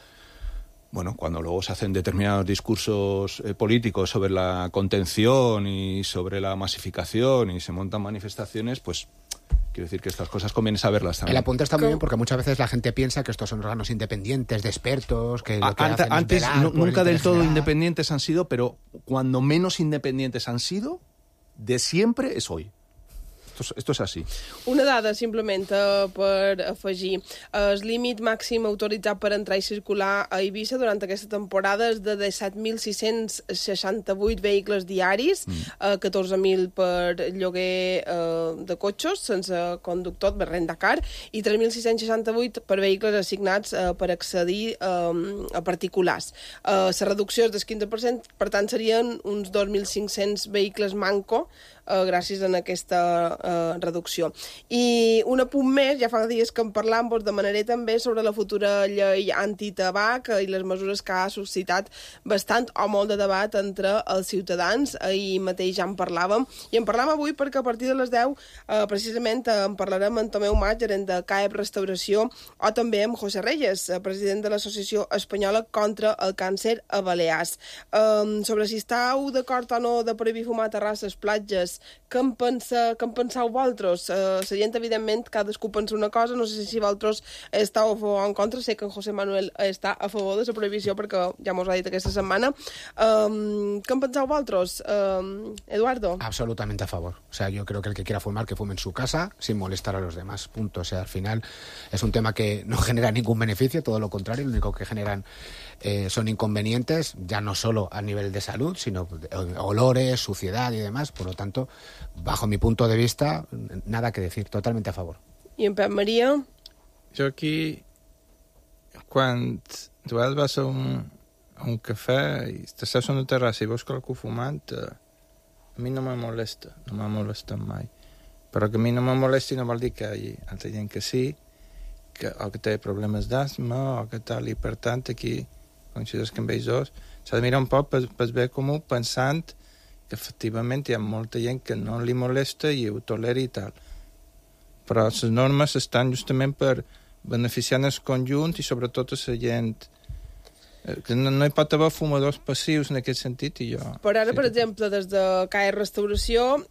Bueno, cuando luego se hacen determinados discursos políticos sobre la contención y sobre la masificación y se montan manifestaciones, pues quiero decir que estas cosas conviene saberlas también. El apunte está muy bien porque muchas veces la gente piensa que estos son órganos independientes, de expertos, que lo que hacen es antes velar por nunca el del interés todo general. independientes han sido, pero cuando menos independientes han sido, de siempre és hoy. Esto és així. Una dada, simplement, per afegir. El límit màxim autoritzat per entrar i circular a Eivissa durant aquesta temporada és de 17.668 vehicles diaris, 14.000 per lloguer de cotxes sense conductor, per rentacar, i 3.668 per vehicles assignats per accedir a particulars. La reducció és del 15%, per tant, serien uns 2.500 vehicles manco gràcies a aquesta reducció. I un apunt més, ja fa dies que en parlam, doncs demanaré també sobre la futura llei antitabac i les mesures que ha suscitat bastant o molt de debat entre els ciutadans. Ahir mateix ja en parlàvem, i en parlam avui perquè a partir de les 10 precisament en parlarem amb Tomeu Mas, gerent de CAEP Restauració, o també amb José Reyes, president de l'Associació Espanyola contra el Càncer a Balears. Sobre si estàu d'acord o no de prohibir fumar a terrasses, platges, què en penseu vosaltres? La gent, evidentment, cadascú pensa una cosa, no sé si vosaltres estàu a favor o en contra, sé que en José Manuel està a favor de la prohibició perquè ja mos ha dit aquesta setmana. ¿Qué en penseu vosaltres, Eduardo? Absolutamente a favor. O sea, yo creo que el que quiera fumar, que fume en su casa sin molestar a los demás. Punto. O sea, al final es un tema que no genera ningún beneficio, todo lo contrario, lo único que generan son inconvenientes, ya no solo a nivel de salud, sino olores, suciedad y demás. Por lo tanto, bajo mi punto de vista, nada que decir, totalmente a favor. I en Pep Maria? Jo aquí, quan tu vas a un cafè i t'estàs a una terrassa i veus qualcú fumant, a mi no me molesta, no m'ha molestat mai. Però que a mi no me molesti no vol dir que hi ha altra gent que sí, o que té problemes d'asma, o que tal, i per tant aquí, consideres que amb ells dos, s'ha de mirar un poc pel bé comú, pensant que efectivament hi ha molta gent que no li molesta i ho tolera i tal. Però les normes estan justament per beneficiar el conjunt i sobretot a la gent. Que no hi pot haver fumadors passius en aquest sentit i jo... Per ara, per exemple, des de CAE Restauració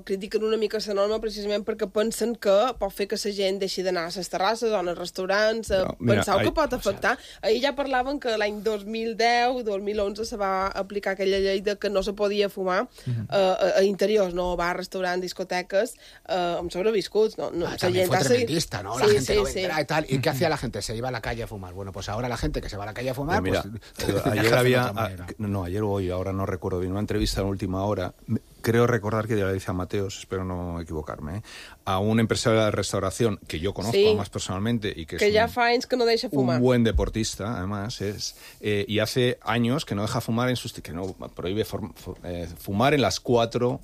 critiquen una mica la norma precisament perquè pensen que pot fer que la gent deixi d'anar a les terrasses o als restaurants. Penseu que pot afectar? Ahir ja parlaven que l'any 2010-2011 se va aplicar aquella llei de que no se podia fumar a interiors, no bars, restaurants, discoteques, amb sobreviscuts. También fue tremendista, ¿no? La gente no vendrá y tal. ¿Y qué hacía la gente? Se iba a la calle a fumar. Bueno, pues ahora la gente que se va a la calle a fumar... Mira, pues, ayer o hoy, ahora no recuerdo bien, una entrevista en última hora, creo recordar que ya le dice a Mateos, espero no equivocarme, a un empresario de restauración que yo conozco además personalmente y que ya fa anys que no deja fumar. Un buen deportista, además, y hace años que no deja fumar que no prohíbe fumar en las 4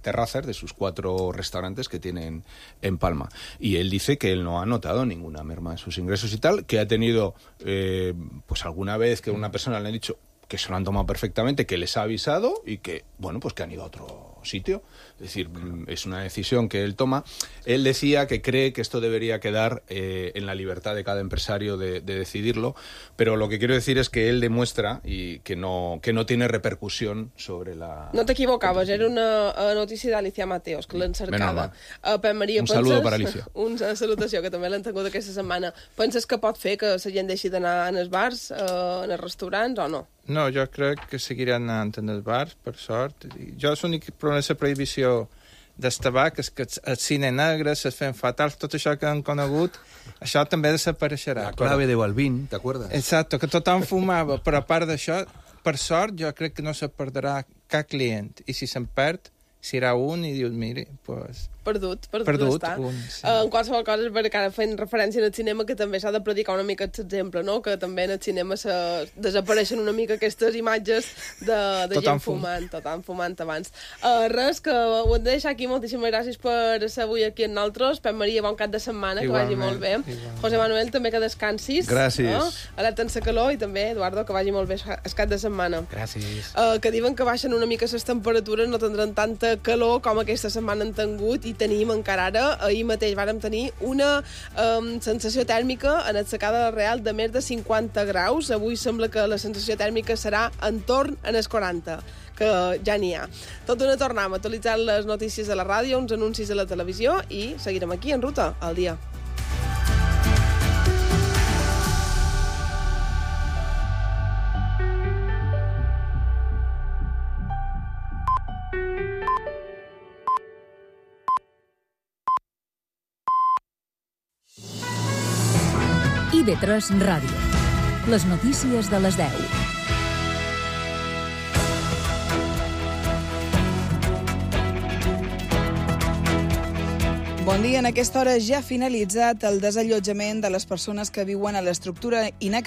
terrazas de sus 4 restaurantes que tienen en Palma. Y él dice que él no ha notado ninguna merma en sus ingresos y tal, que ha tenido pues alguna vez que una persona le ha dicho que se lo han tomado perfectamente, que les ha avisado y que, bueno, pues que han ido a otro sitio. Es decir, es una decisión que él toma. Él decía que cree que esto debería quedar en la libertad de cada empresario de decidirlo, pero lo que quiero decir es que él demuestra y que no tiene repercusión sobre la... No t'equivocaves, era una notícia d'Alicia Mateos, que l'han cercada. Pep Maria, un saludo per Alicia. Una salutació, que també l'han tingut aquesta setmana. Penses que pot fer que la gent deixi d'anar als bars, als restaurants, o no? No, jo crec que seguiran anant en els bars, per sort. Jo l'únic problema de la prohibició del tabac és que el cine negre, les fem fatals, tot això que han conegut, això també desapareixerà. La clave de Balvin, ¿t'acuerdas? Exacto, que tothom fumava, però a part d'això, per sort, jo crec que no se perdrà cap client. I si se'n perd, serà un i dius, mire, pues, Perdut està. Sí. En qualsevol cosa, és perquè ara fent referència al cinema, que també s'ha de predicar una mica aquest exemple, no? Que també en el cinema desapareixen una mica aquestes imatges de gent fumant abans. Res, que ho hem de deixar aquí. Moltíssimes gràcies per ser avui aquí amb nosaltres. Pep Maria, bon cap de setmana, que vagi molt bé. José Manuel, també que descansis. Gràcies. Alerta en la calor, i també, Eduardo, que vagi molt bé el cap de setmana. Gràcies. Que diuen que baixen una mica les temperatures, no tindran tanta calor com aquesta setmana han tingut, i tenim encara ara. Ahir mateix vàrem tenir una sensació tèrmica en el Secà de la Real de més de 50 graus. Avui sembla que la sensació tèrmica serà entorn en els 40, que ja n'hi ha. Tot d'una tornem a actualitzar les notícies de la ràdio, uns anuncis a la televisió, i seguirem aquí en Ruta al dia. IB3 Ràdio. Les notícies de les 10. Bon dia. En aquesta hora ja ha finalitzat el desallotjament de les persones que viuen a l'estructura inacabada